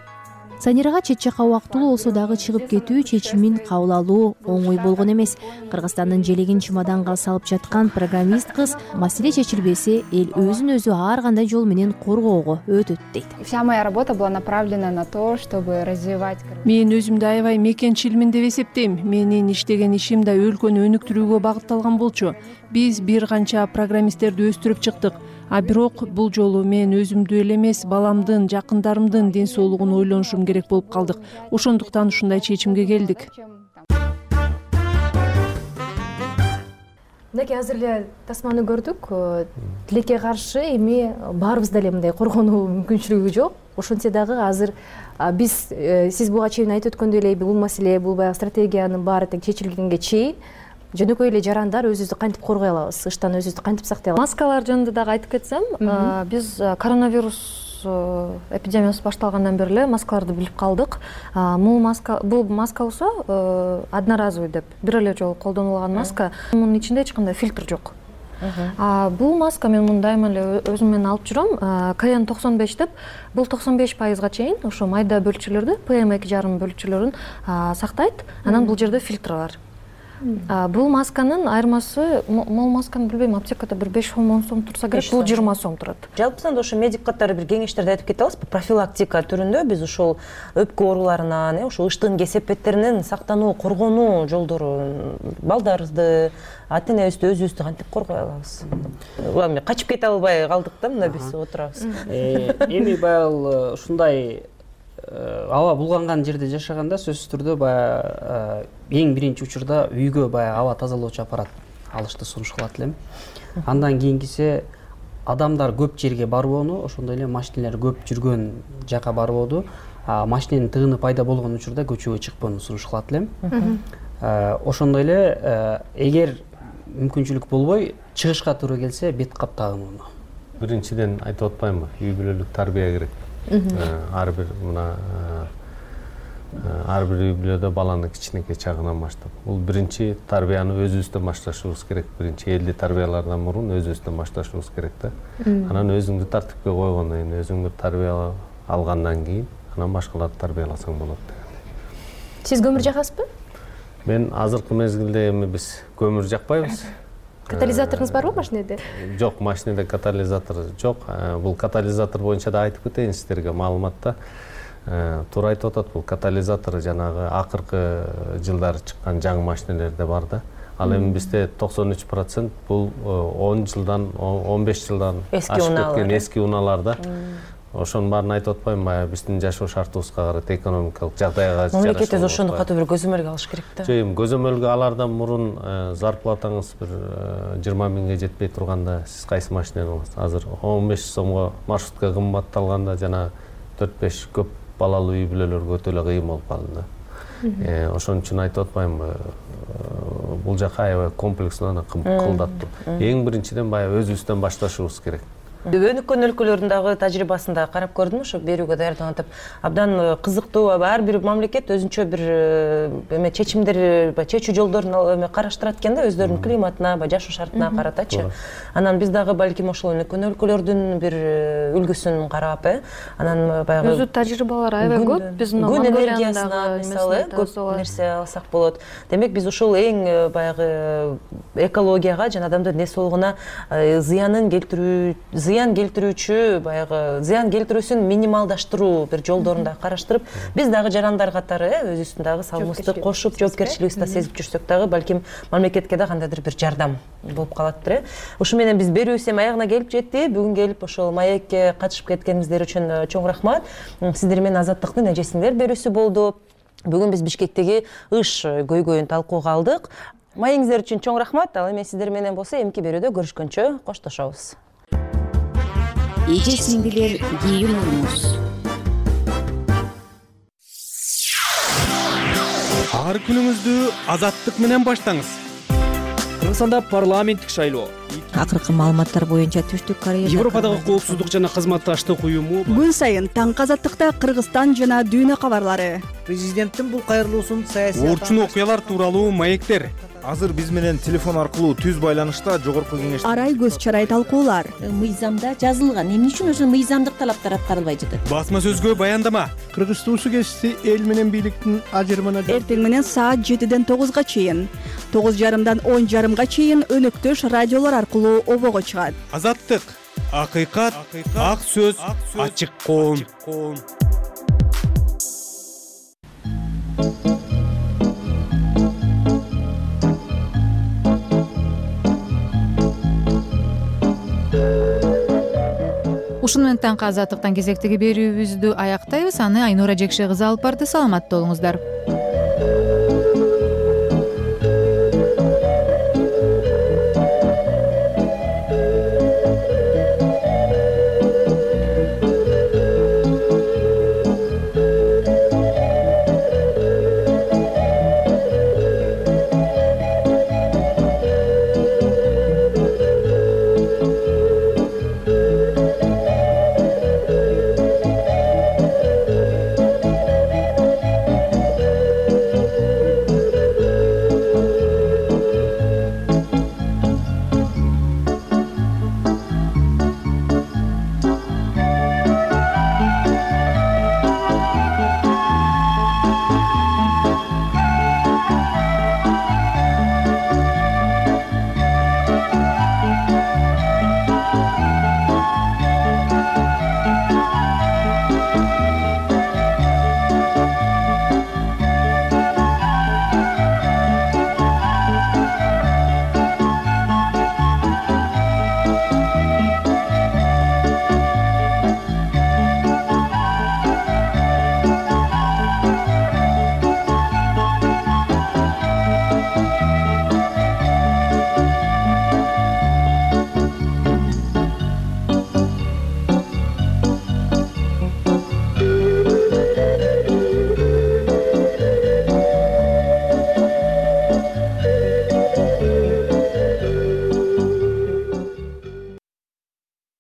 Speaker 1: Санирага чет жака убактылуу болсо дагы чыгып кетүү чечимин кабыл алуу оңой болгон эмес. Кыргызстандын желегин чемоданга салып жаткан программист кыз маселе чечилбесе, эл өзүн өзү ар кандай жол менен коргоого өтөт дейт.
Speaker 3: Вся моя работа была направлена на то, чтобы развивать.
Speaker 4: Мен өзүмдү аябай мекенчилмин деп эсептейм. Менин иштеген ишим да өлкөнү өнүктүрүүгө багытталган болчу. Биз бир канча программисттерди өстүрүп чыктык. Бирок бул жолу мен өзүмдү эле эмес, баламдын, жакындарымдын ден соолугун ойлонушум керек болуп калдык. Ошондуктан ушундай чечимге келдик.
Speaker 12: Мынакей азыр эле тасманы көрдүк. Тилекке каршы эми баарыбызда эле мындай коргонуу мүмкүнчүлүгү жок. Ошентсе дагы азыр биз сиз буга чейин айтып өткөндөй эле бул маселе, бул баягы стратегиянын баары тең чечилгенге чейин жөнөкөй эле жарандар өзүбүздү кантип коргой алабыз, ыштан өзүбүздү кантип сактай алабыз?
Speaker 13: Маскалар жөнүндө дагы айтып кетсем, биз коронавирус эпидемиясы башталгандан бери эле маскаларды билип калдык. Бул маска болсо одноразовый деп, бир эле жолу колдонулган маска. Мунун ичинде эч кандай фильтр жок. Бул маска мен муну дайыма эле өзүм менен алып жүрөм. KN95 деп, бул 95%га чейин ошо майда бөлчөлөрдү, PM2,5 бөлчөлөрүн сактайт. Анан бул жерде фильтр бар. Бул масканын айырмасы, могул масканы билбейм, аптекада бир 5-10 сом турса керек, бул 20 сом турат.
Speaker 11: Жалпысында ошо медик катары бир кеңештерди айтып кете аласызбы? Профилактика түрүндө биз ошол өпкө ооруларынан, ошо ыштыгын кесепеттеринен сактануу, коргонуу жолдору, балдарыбызды, ата энебизди, өзүбүздү кантип коргой алабыз? Эми качып кете албай калдык да, мына биз отурабыз.
Speaker 14: Эми баягы ушундай аба булганган жерде жашаганда сөзсүз түрдө баягы эң биринчи учурда үйгө баягы аба тазалоочу аппарат алышты сунуш кылат элем. Андан кийинкиси адамдар көп жерге барбоону, ошондой эле машиналар көп жүргөн жака барбоону, машиненин тыгыны пайда болгон учурда көчөгө чыкпоону сунуш кылат элем. Ошондой эле эгер мүмкүнчүлүк болбой чыгышка туура келсе бет кап тагынууну.
Speaker 15: Биринчиден айтып атпаймынбы, үй бүлөлүк тарбия керек. Ар бир үй бүлөдө баланы кичинекей чагынан баштап. Бул биринчи тарбияны өзүбүздөн башташыбыз керек. Биринчи элди тарбиялардан мурун өзүбүздөн башташыбыз керек да. Анан өзүңдү тартипке койгондон кийин, өзүңдү тарбия алгандан кийин, анан башкаларды тарбияласаң болот.
Speaker 12: Сиз көмүр жакасызбы?
Speaker 15: Мен азыркы мезгилде эми биз көмүр жакпайбыз.
Speaker 12: Катализаторуңуз барбы машинеде?
Speaker 15: Жок, машинеде катализатор жок. Бул катализатор боюнча да айтып кетейин сиздерге маалыматта. Туура айтып атат, бул катализатор жанагы акыркы жылдары чыккан жаңы машинелерде бар да. Ал эми бизде 93% бул 10 жылдан, 15 жылдан ашып кеткен эски унаалар да. Ошонун баарын айтып атпайм, баягы биздин жашоо шартыбызга карата, экономикалык жагдайга жараша.
Speaker 11: Мамлекет өзү ошону катуу бир көзөмөлгө алыш керек да.
Speaker 15: Жок, эми көзөмөлгө алардан мурун зарплатаңыз бир 20 миңге жетпей турганда сиз кайсы машинени аласыз? Азыр 15 сомго маршрутка кымбатталганда жана 4-5 көп балалуу үй бүлөлөргө өтө эле кыйын болуп калды да. Ошон үчүн айтып атпаймынбы, бул жака аябай комплекстүү, кылдаттуу. Эң биринчиден баягы өзүбүздөн башташыбыз керек.
Speaker 11: Өнүккөн өлкөлөрдүн дагы тажрыйбасында карап көрдүм, ошо берүүгө даярданып, абдан кызыктуу, ар бир мамлекет өзүнчө бир эме чечимдер, чечүү жолдорун эме караштырат экен да, өздөрүнүн климатына, жашоо шартына каратачы. Анан биз дагы балким ошол өнүккөн өлкөлөрдүн бир үлгүсүн карап, анан баягы
Speaker 13: өзү тажрыйбалар аябай көп. Биз
Speaker 11: күн энергиясына мисалы көп нерсе алсак болот. Демек биз ошол эң баягы экологияга жана адамдын ден соолугуна зыян келтирүүчү, баягы зыян келтирүүсүн минималдаштыруу бир жолдорун да караштырып, биз дагы жарандар катары өзүбүздүн дагы салымыбызды кошуп, жоопкерчилигибизди сезип жүрсөк дагы балким мамлекетке да кандайдыр бир жардам болуп калаттыр. Ушу менен биз берүүбүз эми аягына келип жетти. Бүгүн келип ошол маекке катышып кеткениңиздер үчүн чоң рахмат. Сиздер менен Азаттыктын эжесиңер берүүсү болду. Бүгүн биз Бишкектеги ыш көйгөйүн талкууга алдык. Маегиңиздер үчүн чоң рахмат. Ал эми сиздер менен болсо эмки берүүдө көрүшкөнчө коштошобуз.
Speaker 10: Эже сиңдилер кийимиңиз.
Speaker 16: Ар күнүңүздү азаттык менен баштаңыз.
Speaker 6: Кыргызстанда парламенттик шайлоо.
Speaker 17: Акыркы маалыматтар боюнча Түштүк Кореяда
Speaker 16: Европадагы коопсуздук жана кызматташтык уюму
Speaker 18: күн сайын таңкы азаттыкта Кыргызстан жана дүйнө кабарлары.
Speaker 19: Президенттин бул кайрылуусун саясий
Speaker 16: орчун окуялар тууралуу маектер.
Speaker 9: Азыр биз менен телефон аркылуу түз байланышта жогорку кеңеш
Speaker 18: арай көз чарай талкуулар.
Speaker 20: Мыйзамда жазылган, эмне үчүн ошо мыйзамдык талаптар аткарылбай жатат?
Speaker 16: Басма сөзгө баяндама.
Speaker 19: Кыргыз туусу кести эл менен бийликтин ажырымына
Speaker 18: эртең менен саат 7-ден 9-га чейин, 9:30-дан 10:30-га чейин өнөктөш радиолор аркылуу обого чыгат.
Speaker 16: Азаттык, акыйкат, ак сөз, ачык коом.
Speaker 1: Ушуну менен таңкы азаттыктан кезектеги берүүбүздү аяктайбыз. Аны Айнура Жекше кызы алып барды. Саламатта болуңуздар.